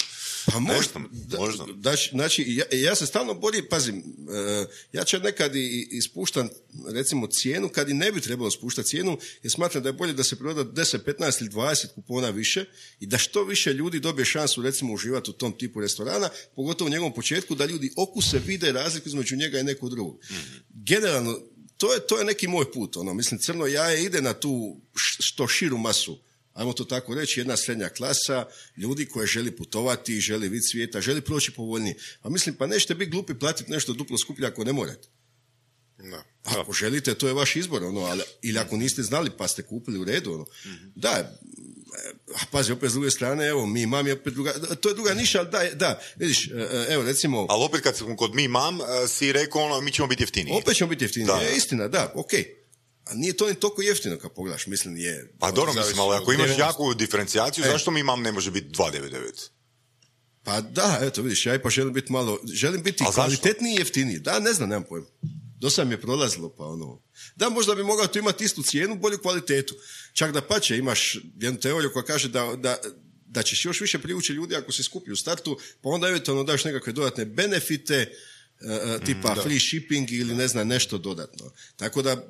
Pa možda, možda. Da, znači, ja, ja se stalno borim, pazim, uh, ja ću nekad i ispuštam, recimo, cijenu, kad i ne bi trebalo spuštati cijenu, jer smatram da je bolje da se proda deset, petnaest ili dvadeset kupona više i da što više ljudi dobije šansu, recimo, uživati u tom tipu restorana, pogotovo u njegovom početku, da ljudi okuse, vide razliku između njega i nekog drugog. Mm-hmm. Generalno, to je, to je neki moj put, ono, mislim, crno jaje ide na tu što širu masu, ajmo to tako reći, jedna srednja klasa, ljudi koji želi putovati, želi vidjeti svijeta, želi proći povoljnije. A mislim, pa nećete biti glupi platiti nešto duplo skuplje ako ne morate. No. Ako želite, to je vaš izbor, ono, ali, ili ako niste znali pa ste kupili u redu, ono. Mm-hmm. Da, a pazi, opet s druge strane, evo, mi mam je opet druga, to je druga niša, ali da, da, vidiš, evo, recimo... Ali opet kad sam kod mi mam, si rekao, ono, mi ćemo biti jeftiniji. Opet ćemo biti jeftiniji, je istina, da, okej. Okay. A nije to ni toliko jeftino kad pogledaš, mislim je... Pa dobro, mislim, ali ako imaš jaku diferencijaciju, e. zašto mi mam ne može biti dva devet devet? Pa da, eto vidiš, ja ipak želim biti malo, želim biti kvalitetniji i jeftiniji. Da, ne znam, nemam pojma. Do sad mi je prolazilo, pa ono... Da, možda bi mogao tu imati istu cijenu, bolju kvalitetu. Čak da pače, imaš jednu teoriju koja kaže da, da, da ćeš još više privući ljudi ako se skupi u startu, pa onda eventualno daš nekakve dodatne benefite, Uh, tipa mm, free shipping ili ne znam nešto dodatno. Tako da,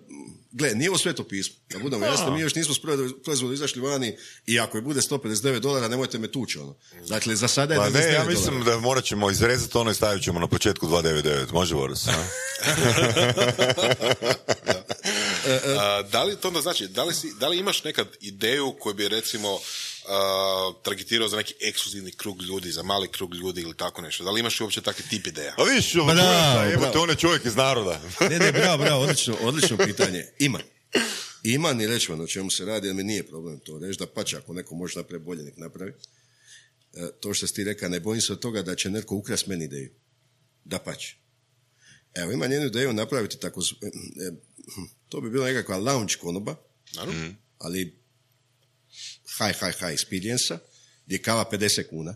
gle, nije ovo sveto pismo. Da budemo jasni, mi još nismo s proizvodom izašli vani i ako je bude sto pedeset devet dolara, nemojte me tući, ono. Dakle, za sada je pa devedeset devet ne, ja mislim dolara. Da morat ćemo izrezati ono i stavit ćemo na početku dva devet devet. Može, Boris? da. A, da li to onda znači, da li, si, da li imaš nekad ideju koju bi recimo Uh, targetirao za neki ekskluzivni krug ljudi, za mali krug ljudi ili tako nešto. Da li imaš uopće takvi tip ideja? A vidiš, jebote, on je čovjek iz naroda. ne, ne, bravo, bravo, odlično, odlično pitanje. Ima. Ima, ni reći vam o čemu se radi, jer mi nije problem to reći, da pače, ako neko može napraviti bolje, nek napravi. E, to što si ti rekao, ne bojim se od toga da će neko ukrasti meni ideju. Da pače. Evo, imam jednu ideju napraviti tako, e, e, to bi bila nekakva lounge konoba, mm. ali high, high, high experience-a, gdje je kava pedeset kuna.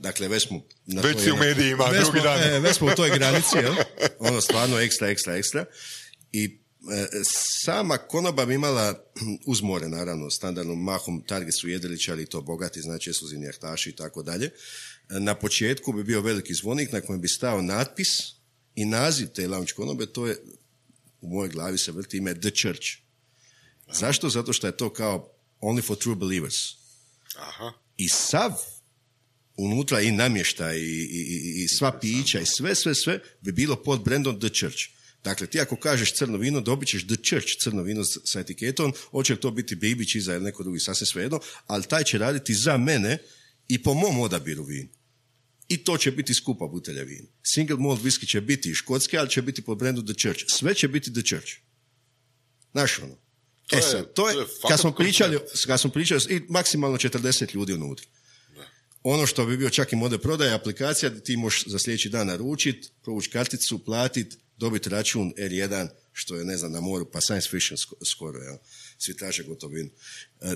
Dakle, već smo... Na već si u medijima, drugi dan. E, već smo u toj granici, jel? Ono stvarno ekstra, ekstra, ekstra. I e, sama konoba bi imala, uz more, naravno, standardnom mahom, target su jedriličari i to bogati, znači ekskluzivni jahtaši i tako dalje. Na početku bi bio veliki zvonik na kojem bi stao natpis i naziv te lounge konobe, to je u mojoj glavi se vrti ime The Church. Zašto? Zato što je to kao only for true believers. Aha. I sav unutra i namještaj i, i, i, i sva pića i sve, sve, sve bi bilo pod brandom The Church. Dakle, ti ako kažeš crno vino, dobit ćeš The Church crno vino sa etiketom, hoće to biti Bibić iza ili neko drugi, sasvim svejedno, ali taj će raditi za mene i po mom odabiru vina. I to će biti skupa butelja vina. Single malt whisky će biti i škotski, ali će biti pod brandom The Church. Sve će biti The Church. Znaš ono? To e je, sad, to je, to je kad smo fakat pričali, kad smo pričali, i maksimalno četrdeset ljudi unutra. Ono što bi bio čak i model prodaje, aplikacija da ti možeš za sljedeći dan naručiti, provući karticu, platiti, dobiti račun er jedan, što je, ne znam, na moru, pa science fiction skoro, ja. Svi traže gotovinu.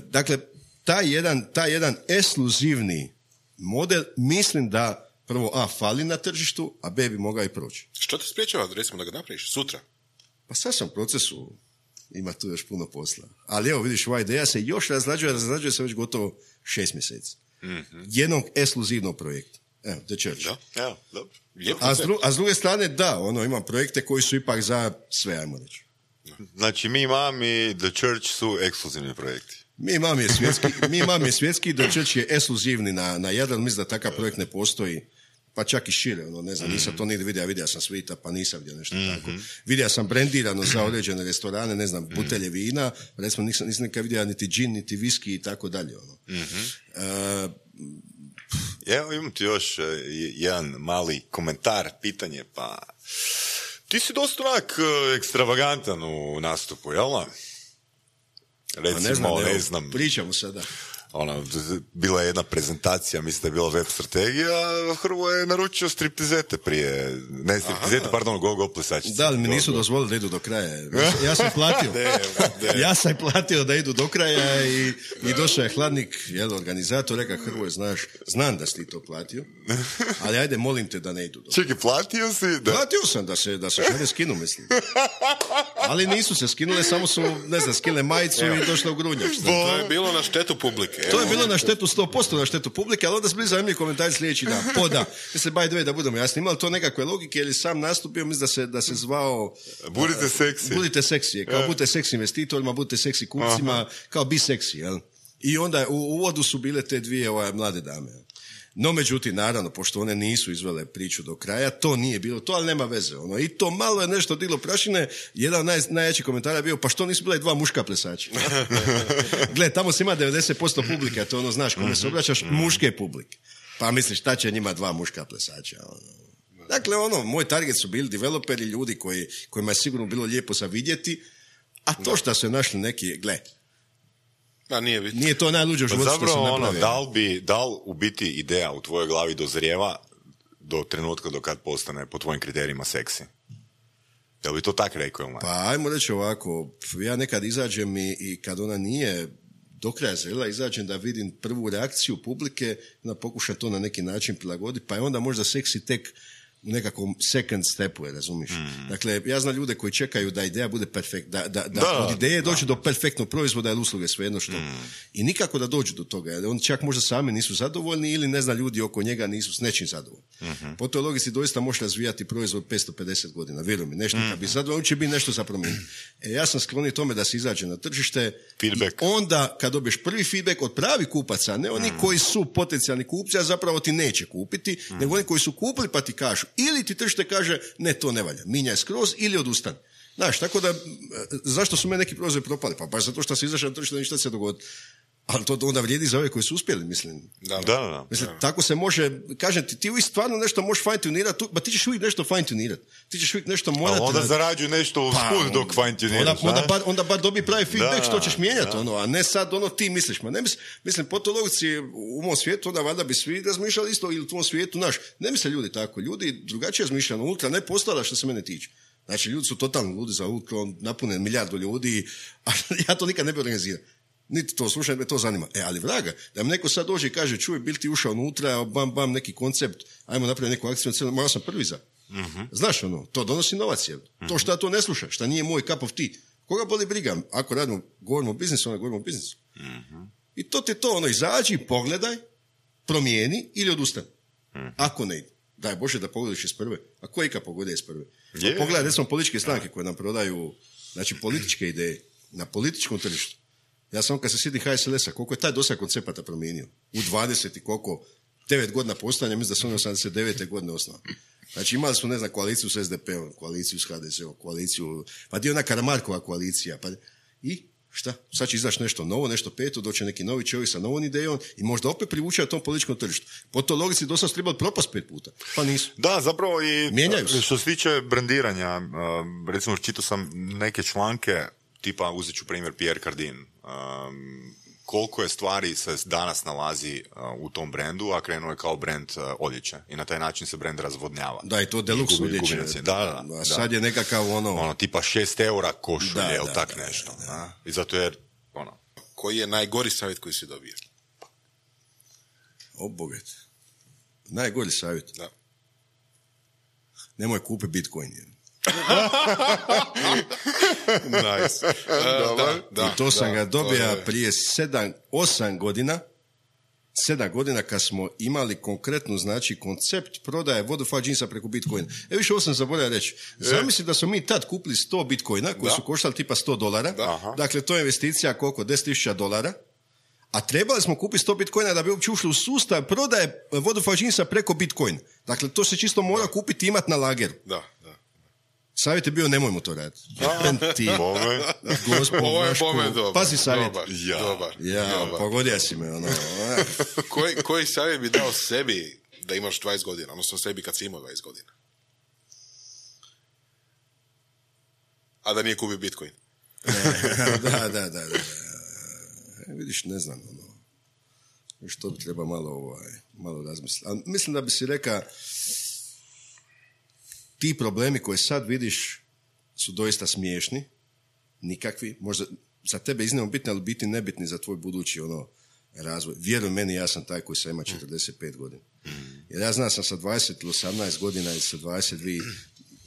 Dakle, taj jedan, taj jedan ekskluzivni model, mislim da prvo A, fali na tržištu, a B, bi mogao i proći. Što te spriječava, recimo, da ga napraviš sutra? Pa sad sam u procesu, ima tu još puno posla. Ali evo, vidiš, ova ideja se još razrađuje, razrađuje se već gotovo šest mjeseci. Mm-hmm. Jednog ekskluzivnog projekta. Evo, The Church. Da, evo, dobro. A s, dru, a s druge strane, da, ono, imam projekte koji su ipak za sve, ajmo reći. Znači, mi imam i The Church su ekskluzivni projekti. Mi imam je svjetski, mi imam je svjetski, The Church je ekskluzivni na, na Jadran, mislim da takav projekt ne postoji, pa čak i šire, ono, ne znam, mm-hmm. nisam to nigdje vidio, vidio sam Svita, pa nisam vidio nešto mm-hmm. tako. Vidio sam brendirano za određene restorane, ne znam, butelje vina, recimo nisam, nisam nikad vidio niti džin, niti viski i tako dalje, ono. Mm-hmm. Uh, Evo, imam ti još uh, jedan mali komentar, pitanje, pa ti si dosta onak uh, ekstravagantan u nastupu, jel' da? Recimo, ne znam, ne evo, znam. pričamo sada. Ona, bila je jedna prezentacija, mislim da je bila web strategija, Hrvoje je naručio striptizete prije, ne striptizete, Aha. pardon, go-go plesačice. Da, ali mi nisu dozvolili da idu do kraja. Ja sam platio. de, de. Ja sam platio da idu do kraja i, i došao je hladnik, jel, organizator, reka Hrvoje, znaš, znam da si ti to platio, ali ajde, molim te da ne idu do kraja. Čekaj, platio si? Da... Platio sam da se, da se šalje skinu, mislim. Ali nisu se skinule, samo su, ne znam, skile majicu i došle u grunjak. To je bilo na štetu publike. To je bilo na štetu, sto posto na štetu publike, ali onda su bili zanimljivi komentari sljedeći dan. Poda. Mislim, by the way, da budemo jasni, imali to nekakve logike, jer je sam nastupio, mislim da se, da se zvao... Budite seksi. Budite seksi, kao budite seksi investitorima, budite seksi kupcima, Aha. kao bi seksi, jel? I onda u uvodu su bile te dvije ovaj, mlade dame. No, međutim, naravno, pošto one nisu izvele priču do kraja, to nije bilo to, ali nema veze. Ono. I to malo je nešto diglo prašine. Jedan naj, najjači komentar je bio, pa što nisu bile dva muška plesača? Gle, tamo se ima devedeset posto publike, to ono, znaš, kome se obraćaš, muške publike. Pa misliš, šta će njima dva muška plesača? Ono. Dakle, ono, moj target su bili developeri, ljudi koji, kojima je sigurno bilo lijepo za vidjeti, a to što su našli neki, gle, A nije, nije to najluđe u životu pa što se napravio. Ono, da li bi, da li u biti ideja u tvojoj glavi dozrijeva do trenutka do kad postane po tvojim kriterijima seksi? Jel bi to tak rekao? Ili? Pa ajmo reći ovako, ja nekad izađem i, i kad ona nije do kraja zrela, izađem da vidim prvu reakciju publike, da pokušam to na neki način prilagoditi, pa je onda možda seksi tek u nekakvom second stepu, je, razumiš? Mm. Dakle, ja znam ljude koji čekaju da ideja bude perfektna, da, da, da, da od ideje dođe do perfektnog proizvoda ili usluge, svejedno što. Mm. I nikako da dođu do toga, jer oni čak možda sami nisu zadovoljni ili ne zna ljudi oko njega nisu s nečim zadovoljni. Mm-hmm. Po toj logici doista možeš razvijati proizvod petsto pedeset godina, vjeruj mi, nešto mm. kad bi zadovoljni će biti nešto za promijeniti. E, ja sam sklonio tome da se izađe na tržište feedback. I onda kad dobiješ prvi feedback od pravi kupaca, ne oni mm. koji su potencijalni kupci, a zapravo ti neće kupiti, mm. nego oni koji su kupili pa ti kažu ili ti tržište kaže, ne, to ne valja, minjaj skroz ili odustani. Znaš, tako da, zašto su me neki proizvodi propali? Pa baš zato što se izašao na tržište, ništa se dogodi. Ali to onda vrijedi za ove koji su uspjeli, mislim. Da, da, da. Mislim, da. Tako se može, kažem ti, ti uvijek stvarno nešto možeš fine-tunirati, ba ti ćeš uvijek nešto fine-tunirati. Ti ćeš uvijek nešto morati... A onda zarađuju nešto u pa, sput dok fine-tuniraš. Onda, onda, bar, onda bar dobi pravi feedback da, što ćeš mijenjati, ono, a ne sad ono ti misliš. Ma ne mislim, mislim po toj logici u mom svijetu, onda valjda bi svi razmišljali isto ili u tvom svijetu, naš. Ne misle ljudi tako. Ljudi drugačije razmišljaju, ultra ne postala što se mene tiče. Znači, ljudi su totalno ludi za ultra, napune milijardu ljudi, a ja to nikad ne bi organizirao. Niti to slušaj, me to zanima. E, ali vraga, da mi neko sad dođe i kaže, čuj, bil ti ušao unutra, bam, bam, neki koncept, ajmo napraviti neku akciju, morao sam prvi za. Uh-huh. Znaš ono, to donosi novac, je. Uh-huh. To što ja to ne slušam, šta nije moj cup of tea. Koga boli briga? Ako radimo, govorimo o biznisu, onda govorimo o biznisu. Uh-huh. I to ti to, ono, izađi, pogledaj, promijeni ili odustani. Uh-huh. Ako ne ide. Daj Bože da pogledaš iz prve. A ko ikad pogleda iz prve? Je. Pogledaj, recimo, političke stranke koje nam prodaju, znači, političke ideje na političkom tržištu. Ja sam kad se sjedi ha es el es-a, koliko je taj dosad koncepata promijenio? U dvadeset i koliko? devet godina postojanja, mislim da su oni osamdeset devete godine osnovali. Znači, imali smo, ne znam, koaliciju s es de pe-om, koaliciju s ha de se-om, koaliciju, pa dio ona Karamarkova koalicija, pa i šta? Sad će izaći nešto novo, nešto peto, doće neki novi čovjek sa novom idejom i možda opet privuče na tom političkom tržištu. Po toj logici do sad su trebali propast pet puta, pa nisu. Da, zapravo i Mijenjaju se. što se tiče brendiranja, uh, recimo čitao sam neke članke, tipa uzet ću primjer Pierre Cardin, um, koliko je stvari se danas nalazi uh, u tom brendu, a krenuo je kao brend uh, odjeće i na taj način se brend razvodnjava. Da, i to deluxe gubi- odjeće. gubi na cijeni. Da, da, da. A sad je nekakav ono... Ono, tipa šest eura košulje, Da, jel da, tak da, nešto. da, da. a? I zato jer, ono, Koji je najgori savjet koji si dobio? O, bogat. Najgori savjet. Da. Nemoj kupi Bitcoin. Jer. Nice. Uh, da, da, I to sam da, ga dobio to je- prije sedam, osam godina, sedam godina kad smo imali konkretnu, znači, koncept prodaje Vodafone džinsa preko Bitcoina. E više, ovo sam zaboravio reći. Zamisli da smo mi tad kupili sto Bitcoina, koji Da. su koštali tipa sto dolara. Da. Dakle, to je investicija koliko? deset tisuća dolara. A trebali smo kupiti sto Bitcoina da bi uopće ušli u sustav prodaje Vodafone džinsa preko Bitcoin. Dakle, to se čisto mora kupiti i imati na lageru. Da, da. Savjet je bio, nemojmo to raditi. Ti, bome, Gospod Ovo je Vaško, bome dobar. pazi savjet. Dobar, Ja. dobar. Ja, dobar. pogodio si me, ono. onak. koji, koji savjet bi dao sebi da imaš dvadeset godina, odnosno sebi kad si imao dvadeset godina? A da nije kupio Bitcoin. da, da, da, da. E, vidiš, ne znam, ono. Što bi treba malo, ovaj, malo razmisliti. Ali mislim da bi si reka, ti problemi koje sad vidiš su doista smiješni, nikakvi, možda za tebe iznimno bitni, ali biti nebitni za tvoj budući ono razvoj. Vjeruj meni, ja sam taj koji sam ima četrdeset pet godina. Jer ja znam sam sa dvadeset ili osamnaest godina ili sa dvadeset dva,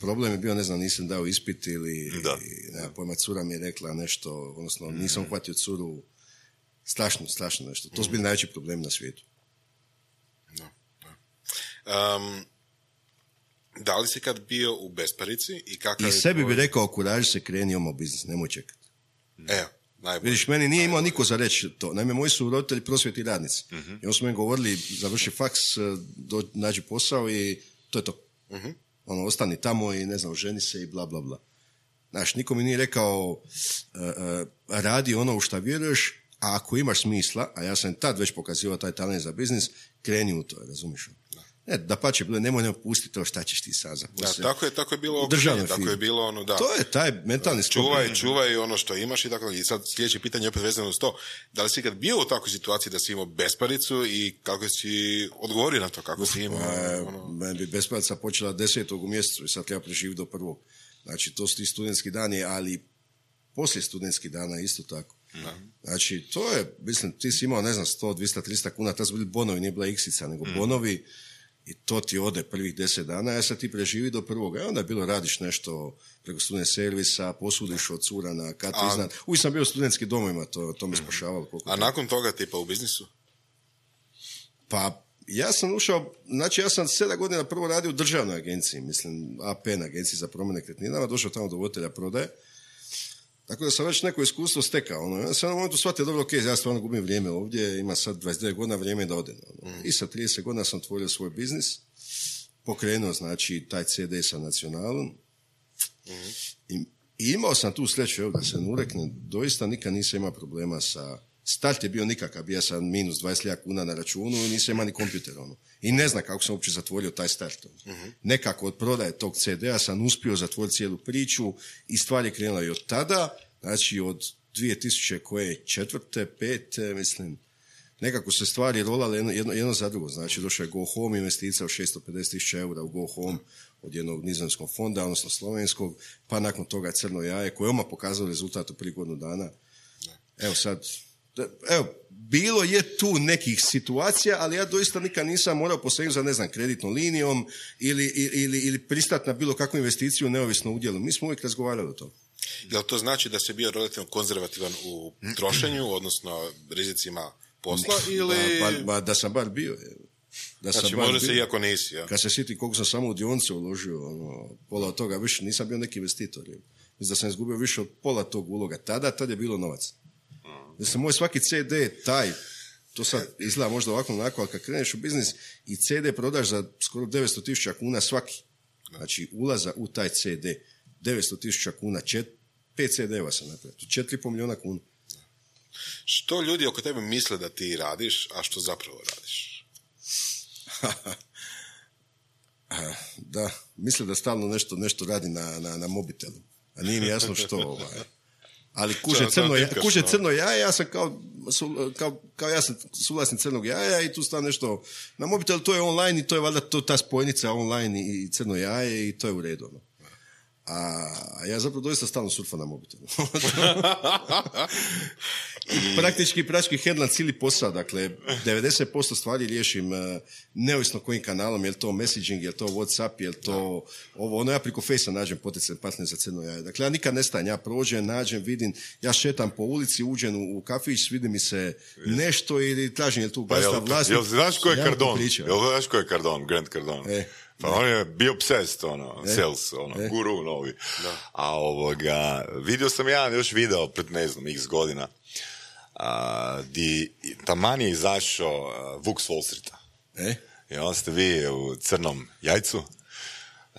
problem je bio, ne znam, nisam dao ispit ili, Da. i, nema pojma, cura mi je rekla nešto, odnosno nisam uhvatio curu, strašno, strašno nešto. To su bili najveći problem na svijetu. Da, da. Um, da li si kad bio u besparici i kakav I je sebi tvoj- bi rekao, kuraži se, kreni oma u biznis, nemoj čekati. Evo, najbolje. Vidiš, meni nije imao niko za reći to. Naime, moji su roditelji prosvjetni radnici. Mhm. I onda su meni govorili, završi faks, do, nađi posao i to je to. Mhm. Ono, ostani tamo i ne znam, ženi se i bla, bla, bla. Znaš, niko mi nije rekao, uh, uh, radi ono u šta vjeruješ, a ako imaš smisla, a ja sam tad već pokazivao taj talent za biznis, kreni u to, razumiješ? Ne, da pa će bilo, nemoj ne pusti to, šta ćeš ti sad za Da, poslije. tako je, tako je bilo U državnoj okruženje, tako firmi. je bilo ono, da. To je taj mentalni sklop. Čuvaj, čuvaj ono što imaš i tako. I sad sljedeće pitanje je opet vezano uz to. Da li si ikad bio u takvoj situaciji da si imao besparicu i kako si odgovorio na to, kako si imao... E, ono... meni bi besparica počela desetog u mjesecu i sad treba preživiti do prvog. Znači, to su ti studentski dani, ali poslije studentskih dana isto tako. Znači, to je, mislim, ti si imao, ne znam, sto, dvjesto, tristo kuna, tad su bili bonovi, nije bila iksica, nego bonovi, i to ti ode prvih deset dana, a sad ti preživi do prvoga. I onda je bilo, radiš nešto preko student servisa, posudiš od cura na katu A- iznad. Uvijek sam bio u studentskim domovima, to, to me spašavalo. koliko A treba. nakon toga, tipa u biznisu? Pa, ja sam ušao, znači ja sam sedam godina prvo radio u državnoj agenciji, mislim, A P N, agenciji za promet nekretninama, došao tamo do voditelja prodaje. Tako da sam već neko iskustvo stekao. Ono. Ja sam na momentu shvatio, dobro, ok, ja stvarno gubim vrijeme ovdje, ima sad dvadeset devet godina, vrijeme je da odem. Ono. I sa trideset godina sam otvorio svoj biznis, pokrenuo, znači, taj C D sa Nacionalom. I, I imao sam tu sreću, evo, da se ne ureknem, doista nikad nisam imao problema sa... Start je bio nikakav, ja sam minus dvadeset hiljada kuna na računu i nisam imao ni kompjuter. Ono. I ne znam kako sam uopće zatvorio taj start. Ono. Nekako od prodaje tog C D-a sam uspio zatvoriti cijelu priču i stvar je krenula i od tada, znači od dvije tisuće četvrte, pete, mislim, nekako se stvari rolale jedno, jedno, jedno za drugo. Znači, došao je Go Home investicija od šesto pedeset tisuća eura u Go Home od jednog nizozemskog fonda, odnosno slovenskog, pa nakon toga Crno jaje, koje je odmah pokazalo rezultat u prije godinu dana. Evo sad, evo, bilo je tu nekih situacija, ali ja doista nikad nisam morao posegnuti za, ne znam, kreditnom linijom ili, ili, ili pristati na bilo kakvu investiciju neovisno o udjelu. Mi smo uvijek razgovarali o tom. Jel to znači da si bio relativno konzervativan u trošenju, odnosno rizicima posla, ili... Ba, ba, ba, da sam bar bio. Evo. Da znači, može se iako nisi, ja. Kad se sjetim koliko sam samo u dionice uložio, ono, pola od toga, više nisam bio neki investitor. Mislim da sam izgubio više od pola tog uloga. Tada, tad je bilo novac. Mislim, moj svaki C D, taj, to sad izgleda možda ovako onako, ali kad kreneš u biznis i C D prodaš za skoro devetsto tisuća kuna svaki. Znači, ulaza u taj C D, devetsto tisuća kuna, čet, pet C D-eva sam napravio, četiri i pol milijuna kuna. Što ljudi oko tebe misle da ti radiš, a što zapravo radiš? Da, misle da stalno nešto, nešto radi na, na, na mobitelu, a nije mi jasno što. Ovaj. Ali kuže crno, ja, kuže crno jaje, ja sam kao, su, kao, kao ja sam suvlasnik crnog jaja i tu stavim nešto na mobitel, to je online i to je valjda to, ta spojnica online i crno jaje i to je u redu. No. A ja zapravo doista stalno surfam na mobitelu. I praktički prački hendlam cijeli posao, dakle devedeset posto stvari riješim uh, neovisno kojim kanalom, je li to messaging, je li to Whatsapp, je li to ovo, ono ja preko Face-a nađem potencijalni partner za crno jaje. Dakle ja nikad ne stajem, ja prođem, nađem, vidim, ja šetam po ulici, uđem u, u kafić, vidi mi se nešto ili tražim je li tu gasta pa vlasnik. Jel znaš ko je Cardone? Jel znaš ko je Cardone, Grant Cardone? E. Pa on je bio obsessed, ono, e, sales, ono, e. guru novi. Da. A ovoga, vidio sam jedan još video pred, ne znam, x godina, a, di taman je izašao uh, Vuk s Wall Streeta. E? I onda ste vi u crnom jajcu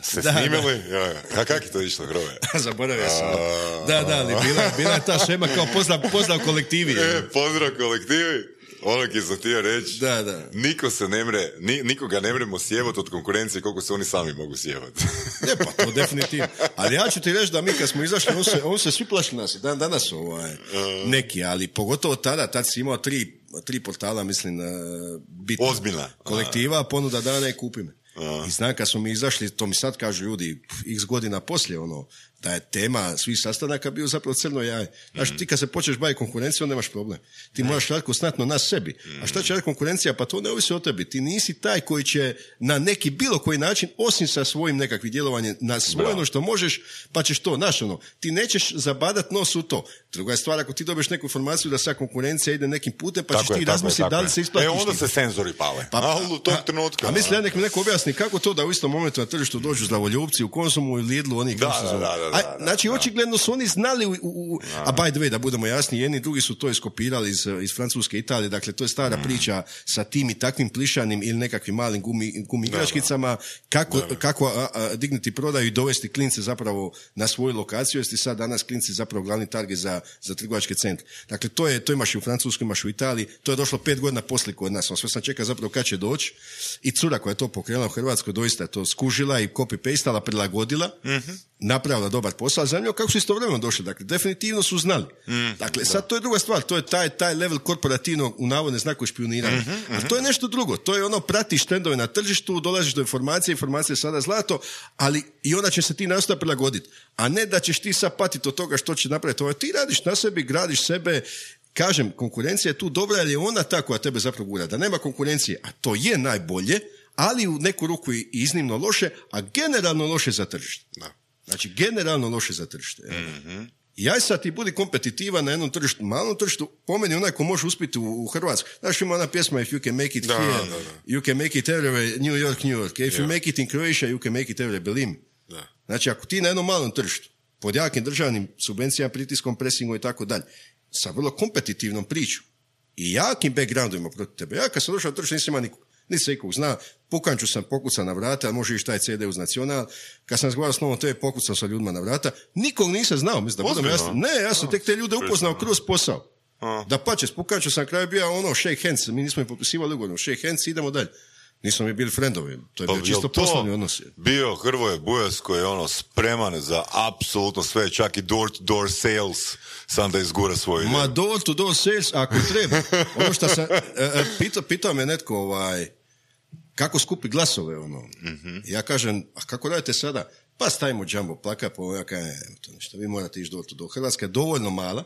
se da, snimili. Da. A kak je to išlo, Hrove? Zaboravio sam. A... Da, da, ali bila, bila je ta šema kao pozdrav, pozdrav kolektivi. E, pozdrav kolektivi. Ono ki sam htio reći, da, da. Niko se ne mre, ni, nikoga ne mremo sjevati od konkurencije koliko se oni sami mogu sjevati. Ne, pa to definitivno. Ali ja ću ti reći da mi kad smo izašli, on se, on se svi plaši nas, dan danas ovaj, neki, ali pogotovo tada, tad si imao tri, tri portala, mislim, bitno. Ozbiljna. Kolektiva, ponuda dana i kupi me. I znam, kad smo mi izašli, to mi sad kažu ljudi, x godina poslije, ono, da je tema svih sastanaka bio zapravo crno jaje. Znaš, ti kad se počneš baviti konkurencijom, nemaš problem. Ti moraš raditi konstantno na sebi. A šta će raditi konkurencija? Pa to ne ovisi o tebi. Ti nisi taj koji će na neki bilo koji način, osim sa svojim nekakvim djelovanjem, na svoje ono što možeš, pa ćeš to, znaš, ono, ti nećeš zabadat nos u to. Druga je stvar, ako ti dobiješ neku informaciju da sad konkurencija ide nekim putem, pa ćeš tako ti razmisliti da li se isplatiš. E, onda se senzori pale. Pa, a, u tog trenutka. A, a misli, ja nek mi neko objasni kako to da u istom momentu na tržištu dođu zdravoljubci u Konzumu i Lidlu, oni da, da, da, da, da, znači, očigledno su oni znali, u, u, a by the way, da budemo jasni, jedni drugi su to iskopirali iz, iz Francuske, Italije, dakle, to je stara mm. priča sa tim i takvim plišanim ili nekakvim malim gumi, gumi igračkicama, kako, kako a, a, dignuti prodaju i dovesti klince zapravo na svoju lokaciju, jer ti sad danas klinci zapravo glavni target za, za trgovačke centre. Dakle, to je, to imaš i u Francuskoj, imaš u Italiji, to je došlo pet godina poslije kod nas, on sve sam čekao zapravo kad će doći i cura koja je to pokrenula u Hrvatskoj, doista je to skužila i copy-pastala, prilagodila, mm-hmm. napravila dobar posao, zanimljivo kako su istovremeno došli, dakle, definitivno su znali. Mm, dakle, da. Sad to je druga stvar, to je taj, taj level korporativnog, u navodne znaku špioniranja. Mm-hmm, mm-hmm. A to je nešto drugo, to je ono, pratiš trendove na tržištu, dolaziš do informacije, informacije je sada zlato, ali i onda će se ti nastaviti prilagoditi. A ne da ćeš ti sad patiti od toga što će napraviti. Ovo, ti radiš na sebi, gradiš sebe, kažem, konkurencija je tu dobra, ali je ona ta koja tebe zapravo gura. Da nema konkurencije, a to je najbolje, ali u neku ruku i iznimno loše, a generalno loše za tržište. Da. Znači, generalno loše za tržište. Mm-hmm. I aj sad ti budi kompetitivan na jednom tržištu, malom tržištu, po meni onaj ko može uspjeti u, u Hrvatskoj. Znaš, ima ona pjesma If you can make it da, here, da, da. You can make it everywhere, New York, New York. If yeah. you make it in Croatia, you can make it everywhere, believe me. Da. Znači, ako ti na jednom malom tržištu, pod jakim državnim subvencijama, pritiskom, presingom i tako dalje, sa vrlo kompetitivnom pričom i jakim backgroundovima protiv tebe. Ja kad sam došao na tržište, nisam ima nikog. Nisi se ikog zna, pukanču sam pokucao na vrata, može ići taj C D uz Nacional, kad sam razgovarao s Novom te pokucao sa ljudima na vrata, nikog nisam znao, mislim da budem jasno. Ne, ja sam tek te ljude upoznao kroz posao. A. Da pače, s pukanču sam kraju bio ono shake hands, mi nismo im potpisivali ugodno, shake hands, idemo dalje. Nismo mi bili friendovi, to je bio pa, čisto poslovni odnos. Bio Hrvoje Bujas koji je ono spreman za apsolutno sve, čak i door to door sales, sam da izgura svoju ideju. Ma door to door sales, ako treba. Ono što sam, e, pitao, pitao me netko, ovaj, kako skupi glasove, ono. Mm-hmm. Ja kažem, a kako radite sada? Pa stavimo jumbo plaka, pa ja kažem, to nešto, vi morate ići door to door. Hrvatska je dovoljno mala,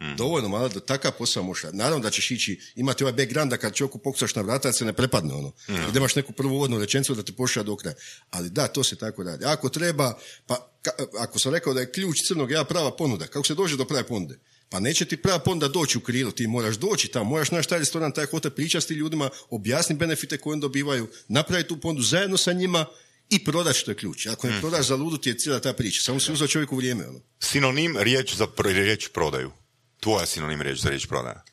Mm. dovoljno malo da takav posao možeš. Naravno da ćeš ići, imati ovaj background da kad čovjeku pokucaš na vrata se ne prepadne ono. Mm. I da imaš neku prvu uvodnu rečenicu da te pošalje do kraja. Ali da, to se tako radi. Ako treba, pa ka, ako sam rekao da je ključ crnog ja prava ponuda, kako se dođe do prave ponude? Pa neće ti prava onda doći u krilo, ti moraš doći tamo, moraš naći taj restoran, taj hotel, pričati s tim ljudima, objasniti benefite koje oni dobivaju, napraviti tu pondu zajedno sa njima i prodati što je ključ. Ako ne prodaš za ludu ti je cijela ta priča, samo si uzeo čovjeku vrijeme. Ono. Sinonim riječ za pr- riječ prodaju. Tvoja sinonim riječ za riječ prodaja.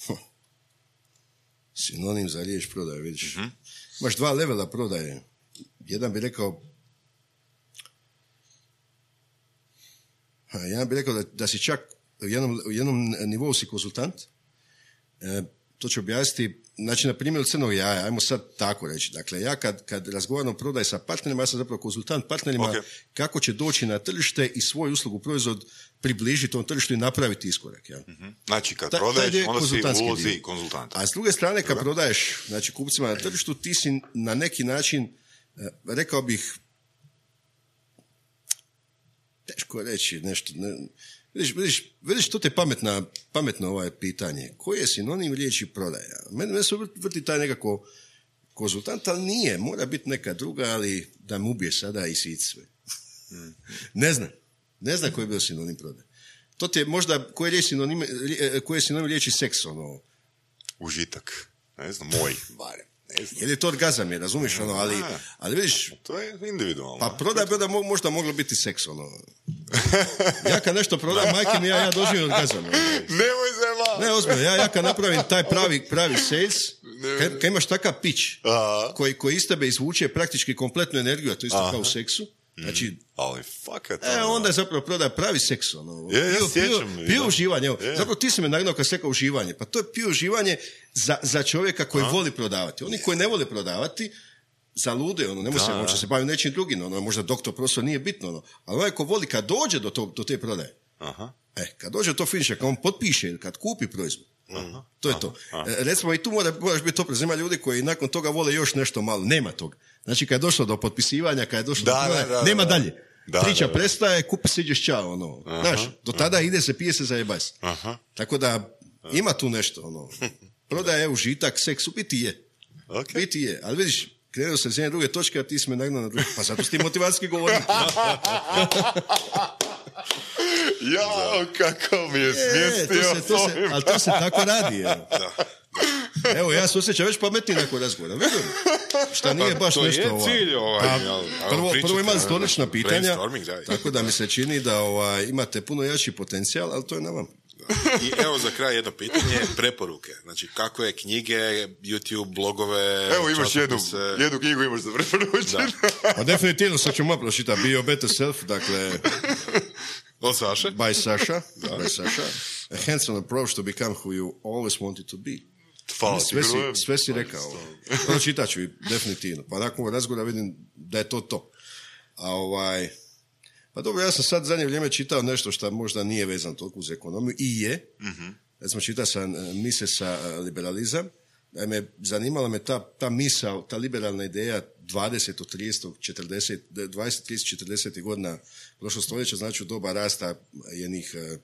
Hm. Sinonim za riječ prodaje, vidiš. Mm-hmm. Imaš dva levela prodaje. Jedan bi rekao Ja bih rekao da, da si čak u jednom, u jednom nivou si konzultant. E, to ću objasniti. Znači, na primjer crnog jaja, ajmo sad tako reći. Dakle, ja kad, kad razgovaram o prodaji sa partnerima, ja sam zapravo konzultant partnerima okay. kako će doći na tržište i svoj uslugu, proizvod približiti tom tržištu i napraviti iskorak. Ja. Mm-hmm. Znači, kad Ta, prodaješ, onda si ulozi konzultanta. A s druge strane, kad Dobre. prodaješ znači, kupcima na tržištu, ti si na neki način, rekao bih, teško reći nešto. Ne, vidiš, vidiš, vidiš, to te pametna, pametno ovaj pitanje. Koji je sinonim riječi prodaja? Mene, mene se vrti taj nekako konzultant, ali nije. Mora biti neka druga, ali da mu ubije sada i sit sve. Hmm. Ne znam. Ne znam koji je bio sinonim prodaja. To ti je možda, koji je sinonim, koji je sinonim riječi seks, ono? Užitak. Ne znam, moj. Bare. Jer je to orgazam, je, razumiješ, ono, ali, ali vidiš... To je individualno. Pa prodaj bi da možda moglo biti seks, ono. Ja kad nešto prodam, majke mi, ja, ja doživim orgazam. Ono. Nemoj zema! Ne, ozbiljno, ja, ja kad napravim taj pravi, pravi sales, kad, kad imaš takav pitch, koji, koji iz tebe izvuče praktički kompletnu energiju, a to isto Aha. kao u seksu, znači... Mm. Ali fakat... E, onda je zapravo prodaja pravi seks, ono. Je, ja sjećam. Pio uživanje, evo. Zapravo ti si me nagnao kad se kao uživanje. Pa to je pio uživanje za, za čovjeka koji A? voli prodavati. Oni koji ne vole prodavati, zalude, ono, ne može se, može se baviti nečim drugim, ono, možda doktor profesor nije bitno, ono. Ali onaj ko voli kad dođe do, to, do te prodaje, Aha. e, kad dođe do to finiša, kad on potpiše ili kad kupi proizvod, Aha. to je Aha. to. Aha. E, recimo i tu mora, moraš biti oprezan, ima ljudi koji nakon toga vole još nešto malo, nema toga. Znači kad je došlo do potpisivanja, kad je došlo da, do prodaje, da, da, nema da. dalje. Da, Priča da, da. prestaje, kupi se, ideš čao, ono. Aha, Znaš, do tada aha. ide se, pije se, zajebaj se. Tako da, ima tu nešto, ono. Prodaja je užitak, seks, u biti je. Okay. Biti je, ali vidiš, krenuo sam s jedne druge točke, a ti si me nagnao na druge. Pa zato si ti motivacijski govornik. Jao, kako mi je smjestio. E, to se, to se, ali to se tako radi, evo. Da. Evo, ja se osjećam već pametniji nakon razgovora. Vidim, šta nije baš to nešto... To je cilj ovaj... A, prvo, prvo imali stolična pitanja, tako da mi se čini da ovaj, imate puno jači potencijal, ali to je na vam. I evo za kraj jedno pitanje, preporuke. Znači, kako je knjige, YouTube, blogove... Evo imaš jednu, jednu knjigu imaš za preporučiti. Pa definitivno sad ću malo pročitati. Be Your Better Self, dakle... Od Saše? By Saša. By Saša. A hands-on approach to become who you always wanted to be. Hvala, sve, si, sve si rekao. To čitat ću definitivno. Pa nakon razgovora vidim da je to to. A ovaj... Pa dobro, ja sam sad zadnje vrijeme čitao nešto što možda nije vezano toliko uz ekonomiju. I je. Mm-hmm. Recimo čitao sam Misesa liberalizam. Naime, zanimala me ta, ta misao, ta liberalna ideja dvadeset, trideset, četrdeset, dvadeset, trideset, četrdeset godina prošlog stoljeća, znači u doba rasta jednih uh,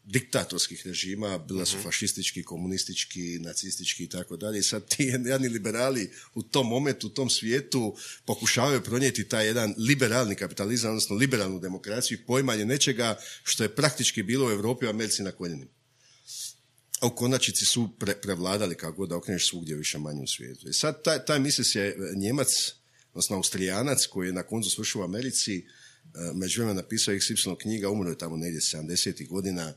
diktatorskih režima, bila su fašistički, komunistički, nacistički i tako dalje. I sad ti jedni liberali u tom momentu, u tom svijetu pokušavaju pronijeti taj jedan liberalni kapitalizam, odnosno liberalnu demokraciju i poimanje nečega što je praktički bilo u Europi i Americi na koljenima. A u konačnici su pre, prevladali kako god da okreneš svugdje više manje u svijetu. I sad taj, taj Mises je Njemac, odnosno Austrijanac koji je na koncu svršio u Americi, međuvremenu napisao iks ipsilon knjiga, umro je tamo negdje sedamdesetih godina.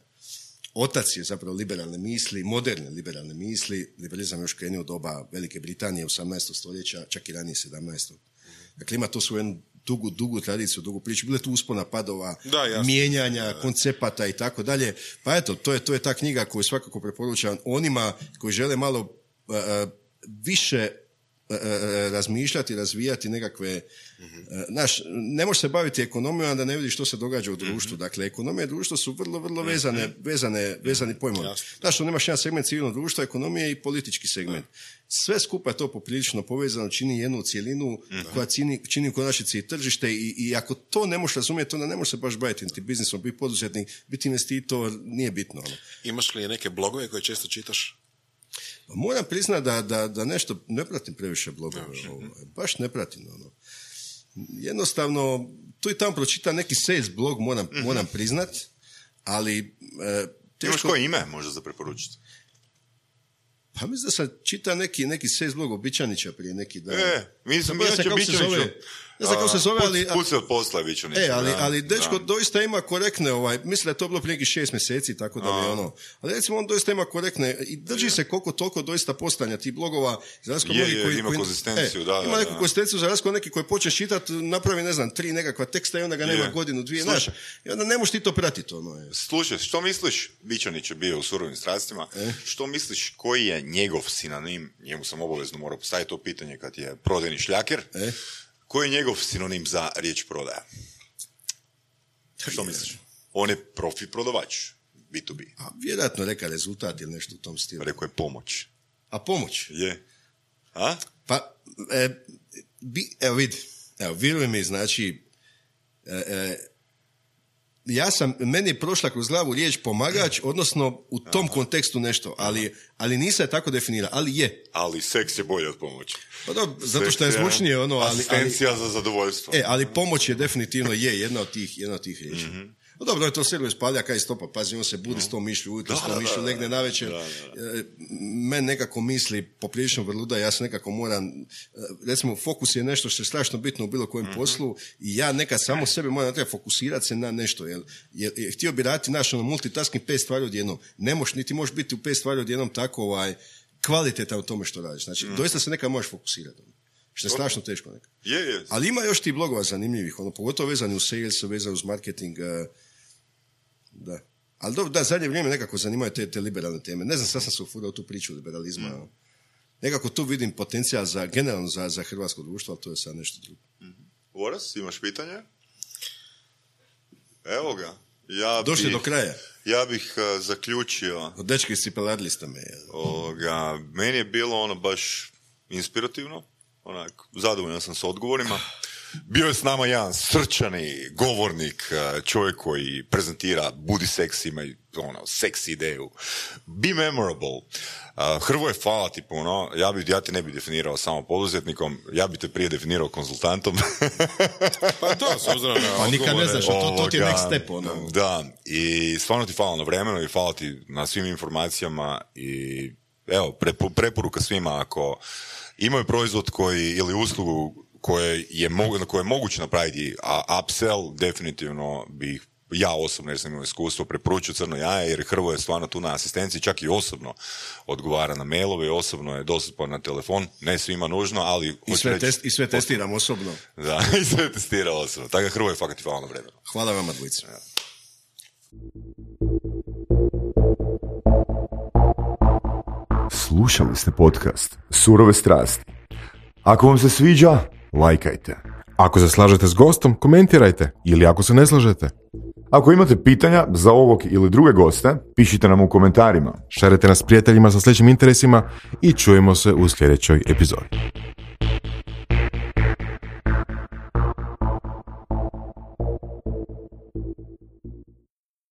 Otac je zapravo liberalne misli, moderne liberalne misli, liberalizam još krenuo u doba Velike Britanije, osamnaestog stoljeća, čak i ranije sedamnaestog. Dakle, ima to svoju jednu dugu, dugu tradiciju, dugu priču. Bile tu uspona padova, da, mijenjanja, da, da. koncepata i tako dalje. Pa eto, to je, to je ta knjiga koju svakako preporučam onima koji žele malo uh, više uh, razmišljati, razvijati nekakve... Mm-hmm. Uh, naš, ne možeš se baviti ekonomijom, a da ne vidiš što se događa u društvu. Mm-hmm. Dakle, ekonomija i društvo su vrlo, vrlo vezane, mm-hmm. vezane, vezani pojmovi. Znaš, što nemaš jedan segment civilnog društva, ekonomije i politički segment. Mm-hmm. Sve skupa je to poprilično povezano, čini jednu cijelinu mm-hmm. koja čini, čini u konačnici i tržište i, i ako to ne možeš razumjeti, onda ne možeš se baš baviti niti biznisom, biti poduzetnik, biti investitor, nije bitno. Ono. Imaš li neke blogove koje često čitaš? Moram priznati da, da, da nešto ne pratim previše blogove. Ovo, baš ne pratim. Ono. jednostavno, tu i tamo pročita neki sales blog, moram, mm-hmm. moram priznat, ali... E, teško... Imaš koje ime možda za preporučiti? Pa mislim da sam čitao neki, neki sales blog o Bičanića prije neki dan. E, mislim, ja ću Bičaniću... Ne znam kako se zove, ali... Put se od posla Bičanića. E, ali, ali dečko da. doista ima korektne, ovaj, mislim da je to bilo prije nekih šest mjeseci, tako da mi ono... Ali recimo on doista ima korektne i drži je. se koliko toliko doista postanja tih blogova. Je, je, koji, ima koji, konzistenciju, e, da, Ima da, neku da. konzistenciju, za razliku neki koji počneš čitati, napravi, ne znam, tri nekakva teksta i onda ga nema je. godinu, dvije, znaš. I onda ne možeš ti to pratiti, ono je. Slušaj, što misliš, Bičanić je bio u Surovim strastima, e? što misliš koji je njegov sinonim, njemu sam obavezno morao postaviti to pitanje kad je prodajni šljaker, e? Koji je njegov sinonim za riječ prodaja? Što misliš? On je profi prodavač, bi to bi. A vjerojatno reka rezultat ili nešto u tom stilu. Rekao je pomoć. A pomoć? Je. A? Pa, e, bi, evo vidi, evo, vjeruj mi, znači, e, e, ja sam, meni je prošla kroz glavu riječ pomagač, odnosno u tom Aha. kontekstu nešto, ali, ali nisam je tako definira, ali je. Ali seks je bolje od pomoći. Pa da, zato što je zvučnije ono, ali... Asistencija ali, za zadovoljstvo. E, ali pomoć je definitivno je jedna od tih, jedna od tih riječi. Mm-hmm. No dobro, je to servis spalja kaj stopa, pazi, on se budi s tom mišlju ujutro, s tom mišlju negdje navečer. Men nekako misli poprilično vrluda, ja se nekako moram, recimo, fokus je nešto što je strašno bitno u bilo kojem mm-hmm. poslu i ja nekad samo sebe moram treba fokusirati se na nešto, jer, jer, jer htio bi raditi naš ono, multitasking pet stvari odjednom. Ne možeš, niti možeš biti u pet stvari odjednom tako ovaj, kvalitetan u tome što radiš. Znači, mm-hmm. doista se nekad možeš fokusirati. Što je strašno teško nekad. Je, je. Ali ima još ti blogova zanimljivih, ono, pogotovo vezani uz sales, vezani uz marketing, uh, da. Ali dobro, da, zadnje vrijeme nekako zanimaju te, te liberalne teme. Ne znam, sad sam se ufurao tu priču liberalizma. Mm. Nekako tu vidim potencijal za, generalno za, za hrvatsko društvo, ali to je sad nešto drugo. Mm-hmm. Boras, imaš pitanje? Evo ga. Ja Došli bih, do kraja. Ja bih uh, zaključio... Od dečki cipeladili ste me. Ovoga, meni je bilo ono baš inspirativno. Onak, zadovoljan sam s odgovorima. Bio je s nama jedan srčani govornik, čovjek koji prezentira budi seksi, ima ono, seksi ideju. Be memorable. Uh, Hrvoje, hvala ti puno. Ja, bi, ja te ne bi definirao samo poduzetnikom, ja bi te prije definirao konzultantom. Pa to, s obzirom na pa nikad ne znaš, to, to ti je next step. Ono. Da, i stvarno ti hvala na vremenu i hvala ti na svim informacijama i evo, preporuka svima ako imaju proizvod koji ili uslugu koje je, mogu, koje je moguće napraviti, a upsell definitivno bih ja osobno, jer sam imao iskustvo, preporučio Crno jaje, jer Hrvoje je stvarno tu na asistenciji, čak i osobno odgovara na mailove, osobno je dostupan na telefon, ne svima nužno, ali... I sve, reći, test, i sve testiram osobno. Da, i sve testira osobno. Tako da Hrvoje fakat i hvala na vremenu. Hvala vama dvojici. Ja. Slušali ste podcast Surove strasti. Ako vam se sviđa, lajkajte. Ako se slažete s gostom, komentirajte. Ili ako se ne slažete. Ako imate pitanja za ovog ili druge goste, pišite nam u komentarima. Šerite nas prijateljima sa sličnim interesima i čujemo se u sljedećoj epizodi.